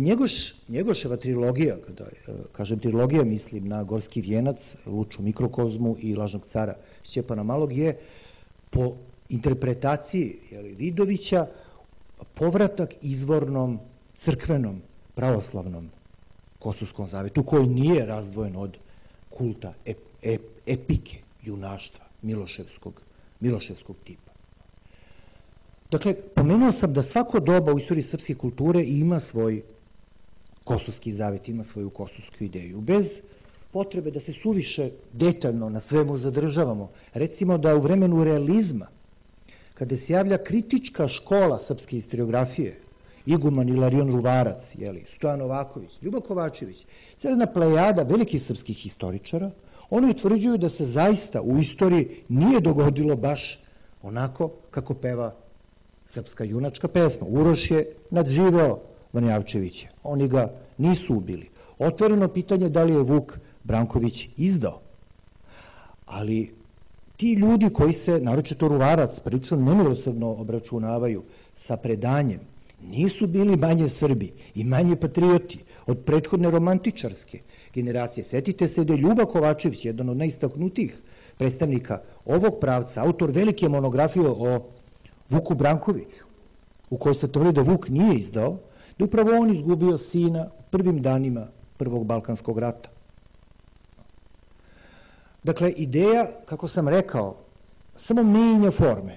Njegoševa trilogija, kada kažem trilogija, mislim na Gorski vijenac, Luču mikrokozmu i Lažnog cara Stjepana Malog, je po interpretaciji Vidovića povratak izvornom, crkvenom, pravoslavnom Kosovskom zavetu, koji nije razdvojen od kulta epike, junaštva, Miloševskog tipa. Dakle, pomenuo sam da svako doba u istoriji srpske kulture ima svoj kosovski zavet, ima svoju kosovsku ideju. Bez potrebe da se suviše detaljno na svemu zadržavamo. Recimo da u vremenu realizma, kada se javlja kritička škola srpske historiografije, iguman Ilarion Ruvarac, Stojan Novaković, Ljubo Kovačević, jedna plejada velikih srpskih historičara, oni utvrđuju da se zaista u istoriji nije dogodilo baš onako kako peva srpska junačka pesma. Uroš je nadživeo Vanjavčevića, oni ga nisu ubili. Otvoreno pitanje da li je Vuk Branković izdao. Ali ti ljudi koji se, naročito Ruvarac, prilično nemilosrdno obračunavaju sa predanjem, nisu bili manje Srbi i manje patrioti od prethodne romantičarske generacije. Setite se da je Ljuba Kovačević, jedan od najistaknutijih predstavnika ovog pravca, autor velike monografije o Vuku Brankoviću, u kojoj se tvrdi da Vuk nije izdao, da upravo on izgubio sina u prvim danima Prvog Balkanskog rata. Dakle, ideja, kako sam rekao, samo menja forme,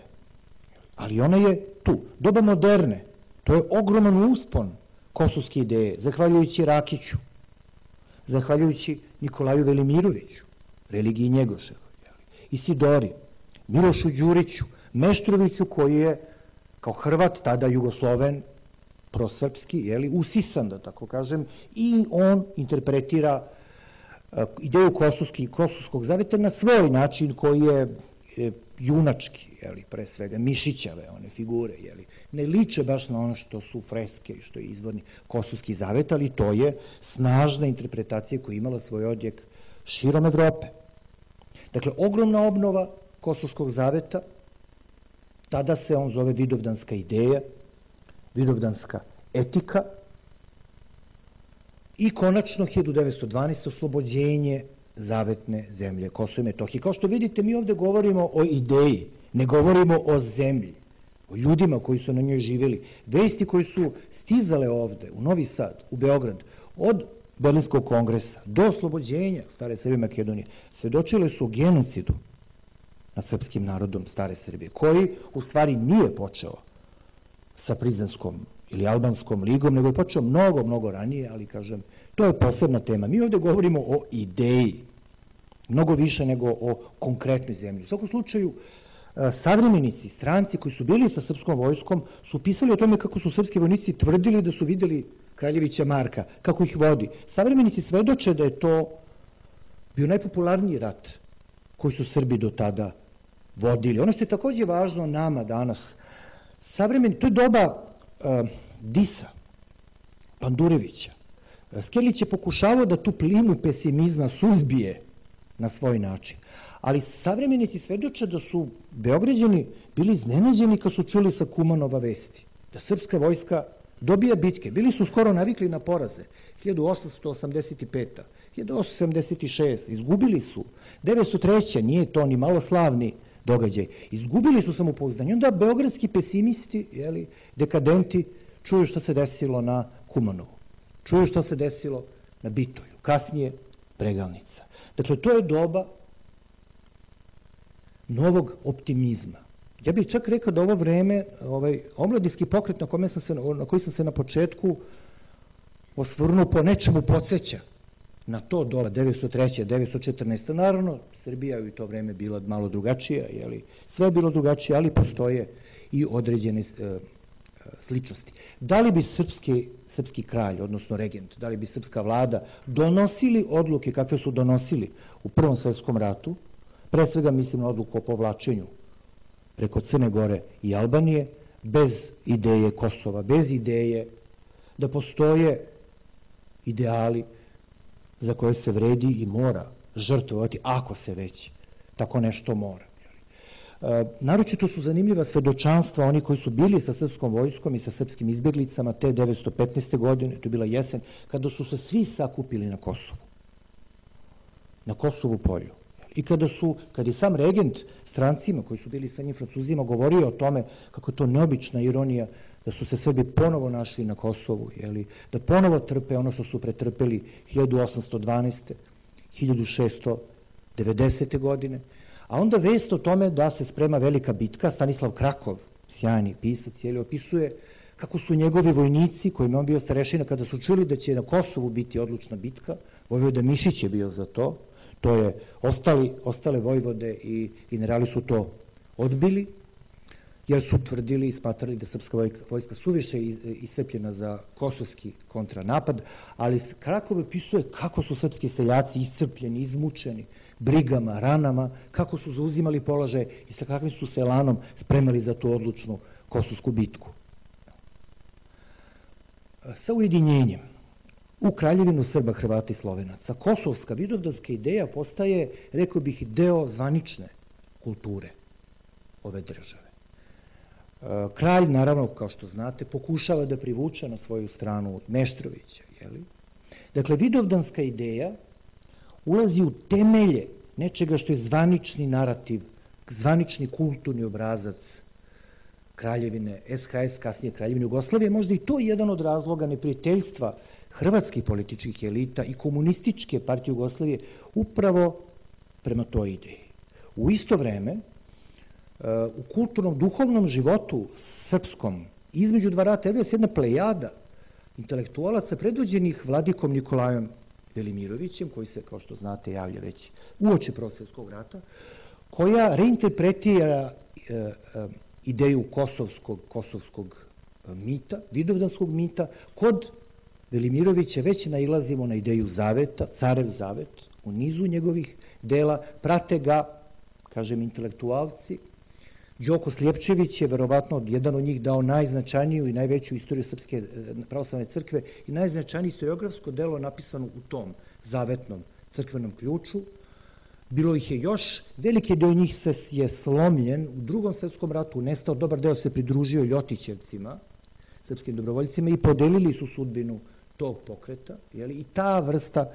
ali ona je tu. Doba moderne, to je ogroman uspon kosovske ideje, zahvaljujući Rakiću, zahvaljujući Nikolaju Velimiroviću, religiji Njegoševa, Isidori, Milošu Đuriću, Meštroviću, koji je kao Hrvat, tada Jugosloven, prosrpski, usisan, da tako kažem, i on interpretira ideju Kosovskog zaveta na svoj način koji je junački, pre svega Mišićave one figure, ne liče baš na ono što su freske i što je izvorni Kosovski zavet, ali to je snažna interpretacija koja je imala svoj odjek širom Evrope. Dakle, ogromna obnova Kosovskog zaveta, tada se on zove Vidovdanska ideja, Vidovdanska etika, i konačno 1912. oslobođenje zavetne zemlje Kosova i Metohije. Kao što vidite, mi ovde govorimo o ideji, ne govorimo o zemlji, o ljudima koji su na njoj živjeli. Vesti koji su stizale ovde, u Novi Sad, u Beograd, od Berlinskog kongresa do oslobođenja Stare Srbije i Makedonije, svedočile su o genocidu nad srpskim narodom Stare Srbije, koji u stvari nije počeo sa Prizanskom ili Albanskom ligom, nego je počeo mnogo, mnogo ranije, ali kažem, to je posebna tema. Mi ovde govorimo o ideji, mnogo više nego o konkretnoj zemlji. U svakom slučaju, savremenici, stranci koji su bili sa srpskom vojskom su pisali o tome kako su srpski vojnici tvrdili da su videli Kraljevića Marka, kako ih vodi. Savremenici svedoče da je to bio najpopularniji rat koji su Srbi do tada vodili. Ono što je takođe važno nama danas, to je doba Disa, Pandurevića. Skerlić je pokušavao da tu plimu pesimizma suzbije na svoj način. Ali savremenici svedoče da su Beograđani bili iznenađeni kad su čuli sa Kumanova vesti, da srpska vojska dobija bitke. Bili su skoro navikli na poraze. 1885. 1876. Izgubili su. 903. Nije to ni malo slavni događaj. Izgubili su samopouzdanje. Onda beogradski pesimisti, dekadenti, čuju što se desilo na Kumanovu. Čuju što se desilo na Bitoju. Kasnije Bregalnica. Dakle, to je doba novog optimizma. Ja bih čak rekao da ovo vreme, omladinski pokret na koji sam se na početku osvrnuo, po nečemu podsjeća na to doba 903. 914. Naravno, Srbija u to vreme bila malo drugačija, sve je bilo drugačije, ali postoje i određene sličnosti. Da li bi srpski kralj, odnosno regent, da li bi srpska vlada donosili odluke kakve su donosili u Prvom svetskom ratu, pre svega mislim na odluku o povlačenju preko Crne Gore i Albanije, bez ideje Kosova, bez ideje da postoje ideali za koje se vredi i mora žrtvovati, ako se već tako nešto mora. Naročito su zanimljiva svedočanstva oni koji su bili sa srpskom vojskom i sa srpskim izbjeglicama te 915. godine, to je bila jesen, kada su se svi sakupili na Kosovu, na Kosovu polju. I kad je sam regent strancima koji su bili sa njim Francuzima govorio o tome kako je to neobična ironija da su se Srbi ponovo našli na Kosovu, da ponovo trpe ono što su pretrpeli 1812. 1690. godine, a onda vest o tome da se sprema velika bitka. Stanislav Krakov, sjajni pisac, opisuje kako su njegovi vojnici, kojima on bio starešina, kada su čuli da će na Kosovu biti odlučna bitka, Vojvoda Mišić je bio za to, ostale vojvode i generali su to odbili, jer su tvrdili i smatrali da srpska vojska suviše iscrpljena za kosovski kontranapad, ali Krakov opisuje kako su srpski seljaci iscrpljeni, izmučeni, brigama, ranama, kako su zauzimali položaje i sa kakvim su se elanom spremali za tu odlučnu kosovsku bitku. Sa ujedinjenjem u Kraljevinu Srba, Hrvata i Slovenaca, kosovska vidovdanska ideja postaje, rekao bih, deo zvanične kulture ove države. Kralj, naravno, kao što znate, pokušava da privuče na svoju stranu Meštrovića. Dakle, vidovdanska ideja ulazi u temelje nečega što je zvanični narativ, zvanični kulturni obrazac Kraljevine SHS, kasnije Kraljevine Jugoslavije. Možda i to je jedan od razloga neprijateljstva hrvatskih političkih elita i komunističke partije Jugoslavije upravo prema toj ideji. U isto vreme, u kulturnom, duhovnom životu srpskom, između dva rata, je jedna plejada intelektualaca predvođenih vladikom Nikolajom Velimirovićem, koji se, kao što znate, javlja već uoči Prvog svjetskog rata, koja reinterpretira ideju kosovskog mita, vidovdanskog mita. Kod Velimirovića već nailazimo na ideju zaveta, carev zavet, u nizu njegovih dela, prate ga, kažem, intelektualci. Đoko Slijepčević je verovatno jedan od njih dao najznačajniju i najveću istoriju Srpske pravoslavne crkve i najznačajnije historiografsko delo napisano u tom zavetnom crkvenom ključu. Bilo ih je još, veliki deo njih je slomljen u Drugom svjetskom ratu, nestao, dobar deo se pridružio Ljotićevcima, srpskim dobrovoljcima, i podelili su sudbinu tog pokreta, i ta vrsta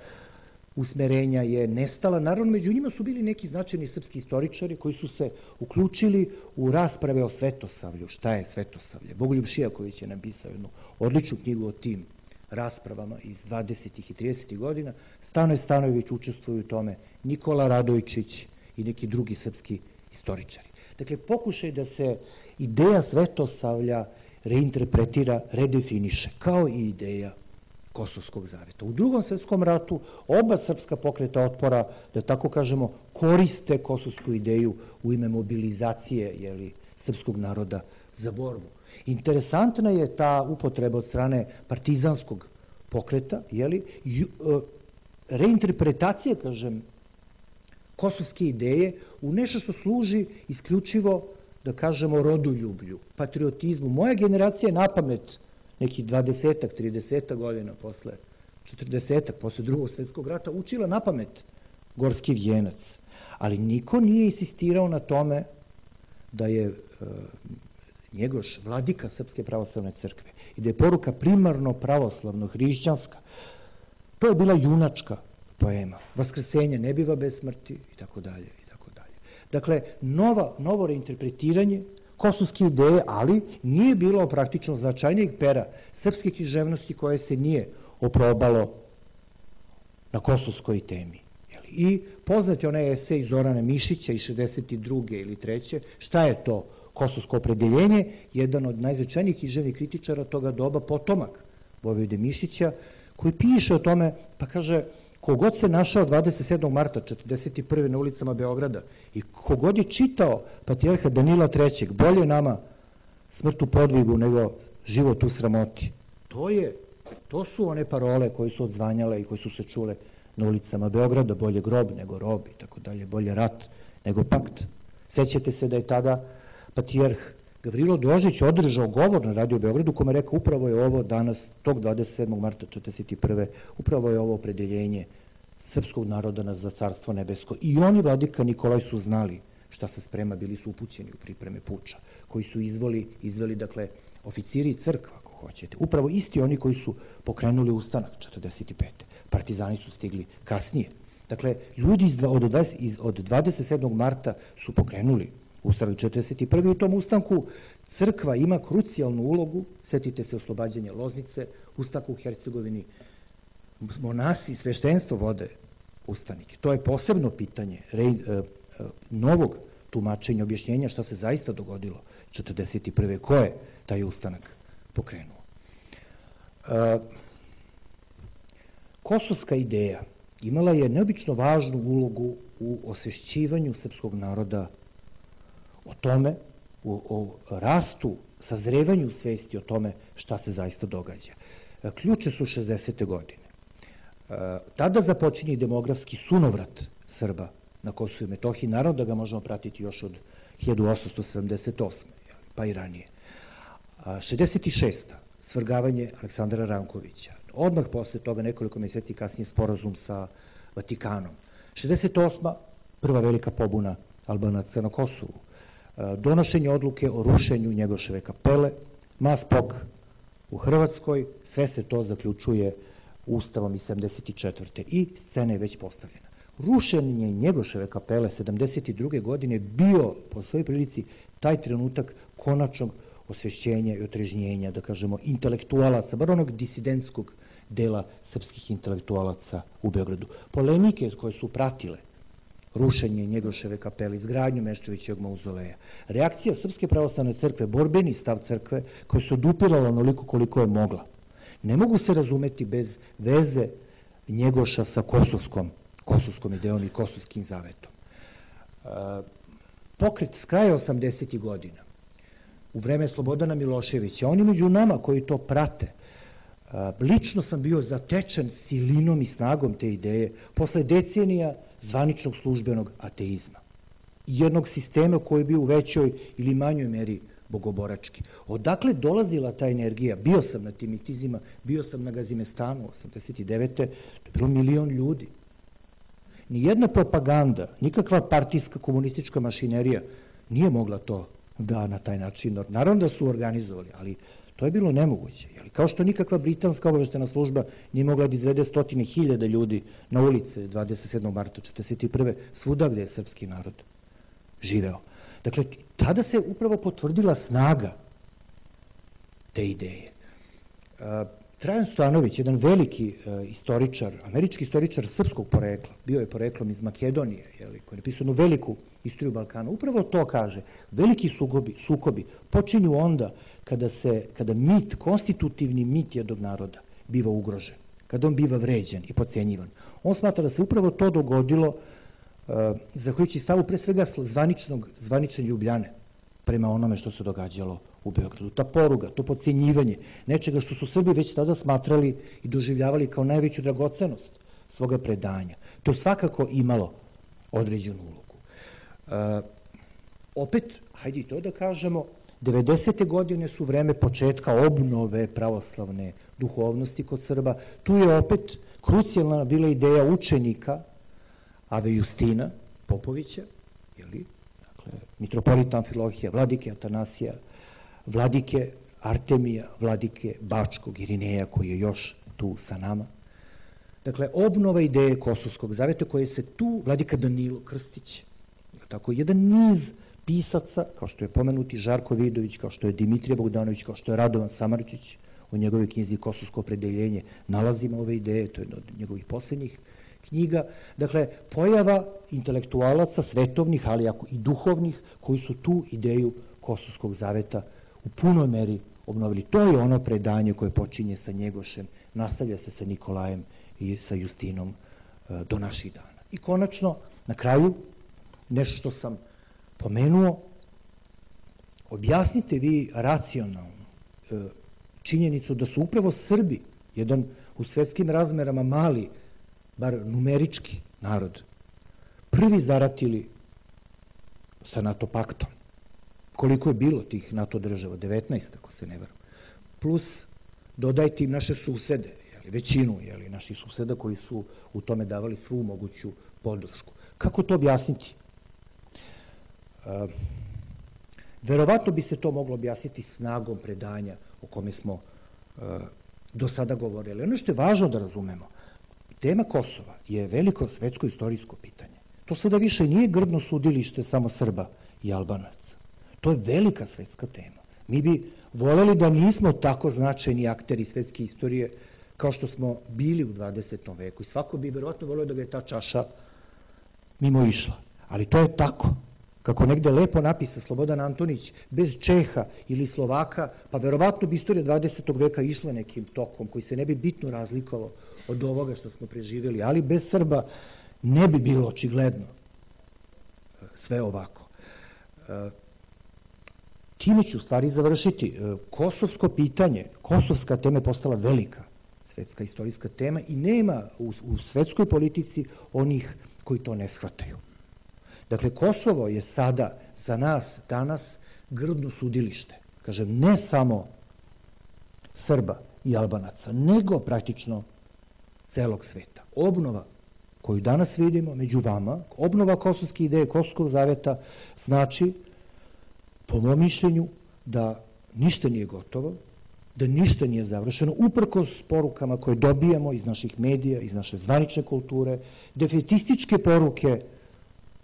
usmerenja je nestala. Naravno, među njima su bili neki značajni srpski istoričari koji su se uključili u rasprave o Svetosavlju. Šta je Svetosavlje? Bogoljub Šijaković je napisao jednu odličnu knjigu o tim raspravama iz 20. i 30. godina. Stanoje Stanojević učestvuju u tome, Nikola Radojčić i neki drugi srpski istoričari. Dakle, pokušaj da se ideja Svetosavlja reinterpretira, redefiniše, kao i ideja Kosovskog zaveta. U Drugom svjetskom ratu oba srpska pokreta otpora, da tako kažemo, koriste kosovsku ideju u ime mobilizacije srpskog naroda za borbu. Interesantna je ta upotreba od strane partizanskog pokreta, reinterpretacija, kažem, kosovske ideje u nešto što služi isključivo, da kažemo, rodoljublju, patriotizmu. Moja generacija je napamet nekih 20-ak, 30-ak godina posle 40-ak, posle Drugog svjetskog rata, učila napamet Gorski vijenac. Ali niko nije insistirao na tome da je Njegoš vladika Srpske pravoslavne crkve i da je poruka primarno pravoslavno, hrišćanska. To je bila junačka poema. Vaskrsenje ne biva bez smrti i tako dalje. Dakle, novo reinterpretiranje kosovske ideje, ali nije bilo praktično značajnijeg pera srpske književnosti koje se nije oprobalo na kosovskoj temi. I poznat je onaj esej Zorana Mišića iz 62. ili 3. Šta je to kosovsko opredeljenje? Jedan od najznačajnijih književnih kritičara toga doba, potomak Vojvode Mišića, koji piše o tome, pa kaže, Kogod se našao 27. marta 1941. na ulicama Beograda i kogod je čitao patrijarha Danila III. Bolje nama smrt u podvigu nego život u sramoti. To su one parole koje su odzvanjale i koje su se čule na ulicama Beograda, bolje grob nego rob i tako dalje, bolje rat nego pakt. Sećate se da je tada patrijarh Gavrilo Drožić održao govor na Radio Beogradu kome rekao upravo je ovo danas, tog 27. marta 1941. upravo je ovo opredeljenje srpskog naroda za carstvo nebesko. I oni, vladika Nikolaj, su znali šta se sprema, bili su upućeni u pripreme puča, koji su izveli, dakle, oficiri crkva, ako hoćete. Upravo isti oni koji su pokrenuli ustanak 45. Partizani su stigli kasnije. Dakle, ljudi od 27. marta su pokrenuli ustanak 41. U tom ustanku crkva ima krucijalnu ulogu, setite se oslobađanja Loznice, ustanak u Hercegovini, monasi i sveštenstvo vode ustanike. To je posebno pitanje novog tumačenja, objašnjenja šta se zaista dogodilo 41. Ko je taj ustanak pokrenuo? Kosovska ideja imala je neobično važnu ulogu u osvešćivanju srpskog naroda o tome, o rastu, sazrevanju svesti o tome šta se zaista događa. Ključe su 60. godine. Tada započinje demografski sunovrat Srba na Kosovu i Metohiji. Naravno da ga možemo pratiti još od 1878. pa i ranije. 66. svrgavanje Aleksandra Rankovića. Odmah posle toga, nekoliko mjeseci kasnije, sporazum sa Vatikanom. 68. prva velika pobuna Albanaca na Kosovu. Donošenje odluke o rušenju Njegoševe kapele, Maspok u Hrvatskoj, sve se to zaključuje Ustavom iz 74. i scena je već postavljena. Rušenje Njegoševe kapele 72. godine bio po svojoj prilici taj trenutak konačnog osvešćenja i otrežnjenja, da kažemo, intelektualaca, bar onog disidentskog dela srpskih intelektualaca u Beogradu. Polemike koje su pratile rušenje Njegoševe kapele, izgradnju Meštrovićevog mauzoleja, reakcija Srpske pravoslavne crkve, borbeni stav crkve koja se odupirala onoliko koliko je mogla, ne mogu se razumeti bez veze Njegoša sa kosovskom idejom i kosovskim zavetom. Pokret s kraja 80. godina, u vreme Slobodana Miloševića, oni među nama koji to prate, lično sam bio zatečen silinom i snagom te ideje posle decenija zvaničnog službenog ateizma. Jednog sistema koji je bio u većoj ili manjoj meri bogoborački. Odakle dolazila ta energija? Bio sam na tim mitizima, bio sam na Gazimestanu 89. To je bilo 1 milion ljudi. Nijedna propaganda, nikakva partijska komunistička mašinerija nije mogla to da na taj način. Naravno da su organizovali, ali to je bilo nemoguće. Kao što nikakva britanska obaveštena služba nije mogla da izvede 100.000 ljudi na ulice 27. marta 1941. svuda gde je srpski narod živeo. Dakle, tada se upravo potvrdila snaga te ideje. Trajan Stojanović, jedan veliki istoričar, američki istoričar srpskog porekla, bio je poreklom iz Makedonije, koji je napisao jednu veliku istoriju Balkana, upravo to kaže. Veliki sukobi počinju onda kada mit, konstitutivni mit jednog naroda biva ugrožen, kada on biva vređan i podcenjivan. On smatra da se upravo to dogodilo zahvaljujući stavu pre svega zvanične Ljubljane prema onome što se događalo u Beogradu. Ta poruga, to podcenjivanje nečega što su Srbi već tada smatrali i doživljavali kao najveću dragocenost svoga predanja. To je svakako imalo određenu ulogu. Opet, hajde i to da kažemo, 90. godine su vreme početka obnove pravoslavne duhovnosti kod Srba. Tu je opet krucijalna bila ideja učenika Ave Justina Popovića, dakle, mitropolita Amfilohija, vladike Atanasija, vladike Artemija, vladike Bačkog Irineja koji je još tu sa nama. Dakle, obnova ideje Kosovskog zaveta koje se tu, vladika Danilo Krstić, tako jedan niz pisaca, kao što je pomenuti Žarko Vidović, kao što je Dimitrije Bogdanović, kao što je Radovan Samardžić, u njegovoj knjizi Kosovsko opredeljenje nalazimo ove ideje, to je jedna od njegovih posljednjih knjiga. Dakle, pojava intelektualaca, svetovnih, ali i duhovnih, koji su tu ideju Kosovskog zaveta u punoj meri obnovili. To je ono predanje koje počinje sa Njegošem, nastavlja se sa Nikolajem i sa Justinom do naših dana. I konačno, na kraju, nešto što sam pomenuo, objasnite vi racionalno činjenicu da su upravo Srbi, jedan u svetskim razmerama mali, bar numerički narod, prvi zaratili sa NATO paktom. Koliko je bilo tih NATO država? 19, ako se ne varam. Plus, dodajte im naše susede, većinu naših suseda koji su u tome davali svu moguću podršku. Kako to objasniti? Verovatno bi se to moglo objasniti snagom predanja o kome smo do sada govorili. Ono što je važno da razumemo, tema Kosova je veliko svetsko istorijsko pitanje. To sada više nije grdno sudilište samo Srba i Albanaca. To je velika svetska tema. Mi bi voljeli da nismo tako značajni akteri svetske istorije kao što smo bili u 20. veku. I svako bi verovatno volio da ga je ta čaša mimo išla. Ali to je tako. Kako negde lepo napisa Slobodan Antonić, bez Čeha ili Slovaka, pa verovatno bi istorija 20. veka išla nekim tokom koji se ne bi bitno razlikovao od ovoga što smo preživjeli, ali bez Srba ne bi bilo očigledno sve ovako. Time ću stvari završiti. Kosovsko pitanje, kosovska tema je postala velika svetska istorijska tema i nema u svetskoj politici onih koji to ne shvataju. Dakle, Kosovo je sada za nas danas grdno sudilište. Kažem, ne samo Srba i Albanaca, nego praktično celog sveta. Obnova koju danas vidimo među vama, obnova kosovske ideje, Kosovskog zaveta, znači, po mom mišljenju, da ništa nije gotovo, da ništa nije završeno, uprkos porukama koje dobijamo iz naših medija, iz naše zvanične kulture, defetističke poruke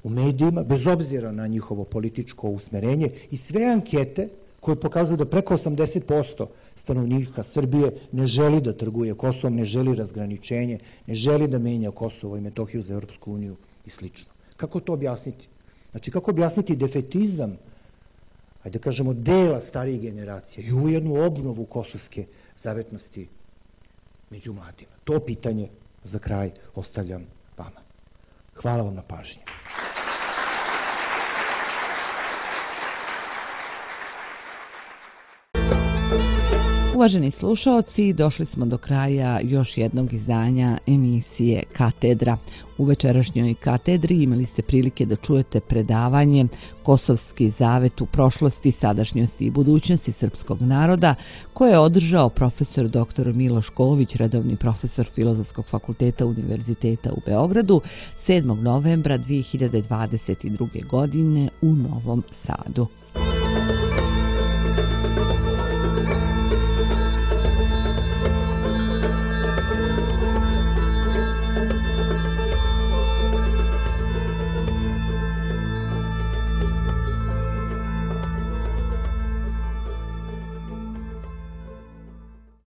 u medijima, bez obzira na njihovo političko usmerenje i sve ankete koje pokazuju da preko 80% stanovnika Srbije ne želi da trguje Kosovom, ne želi razgraničenje, ne želi da menja Kosovo i Metohiju za Europsku uniju i slično. Kako to objasniti? Znači, kako objasniti defetizam, ajde da kažemo, dela starijih generacija i ujednu obnovu kosovske zavetnosti među mladima? To pitanje za kraj ostavljam vama. Hvala vam na pažnji. Uvaženi slušaoci, došli smo do kraja još jednog izdanja emisije Katedra. U večerašnjoj katedri imali ste prilike da čujete predavanje Kosovski zavet u prošlosti, sadašnjosti i budućnosti srpskog naroda, koje je održao profesor dr. Miloš Ković, redovni profesor Filozofskog fakulteta Univerziteta u Beogradu, 7. novembra 2022. godine u Novom Sadu.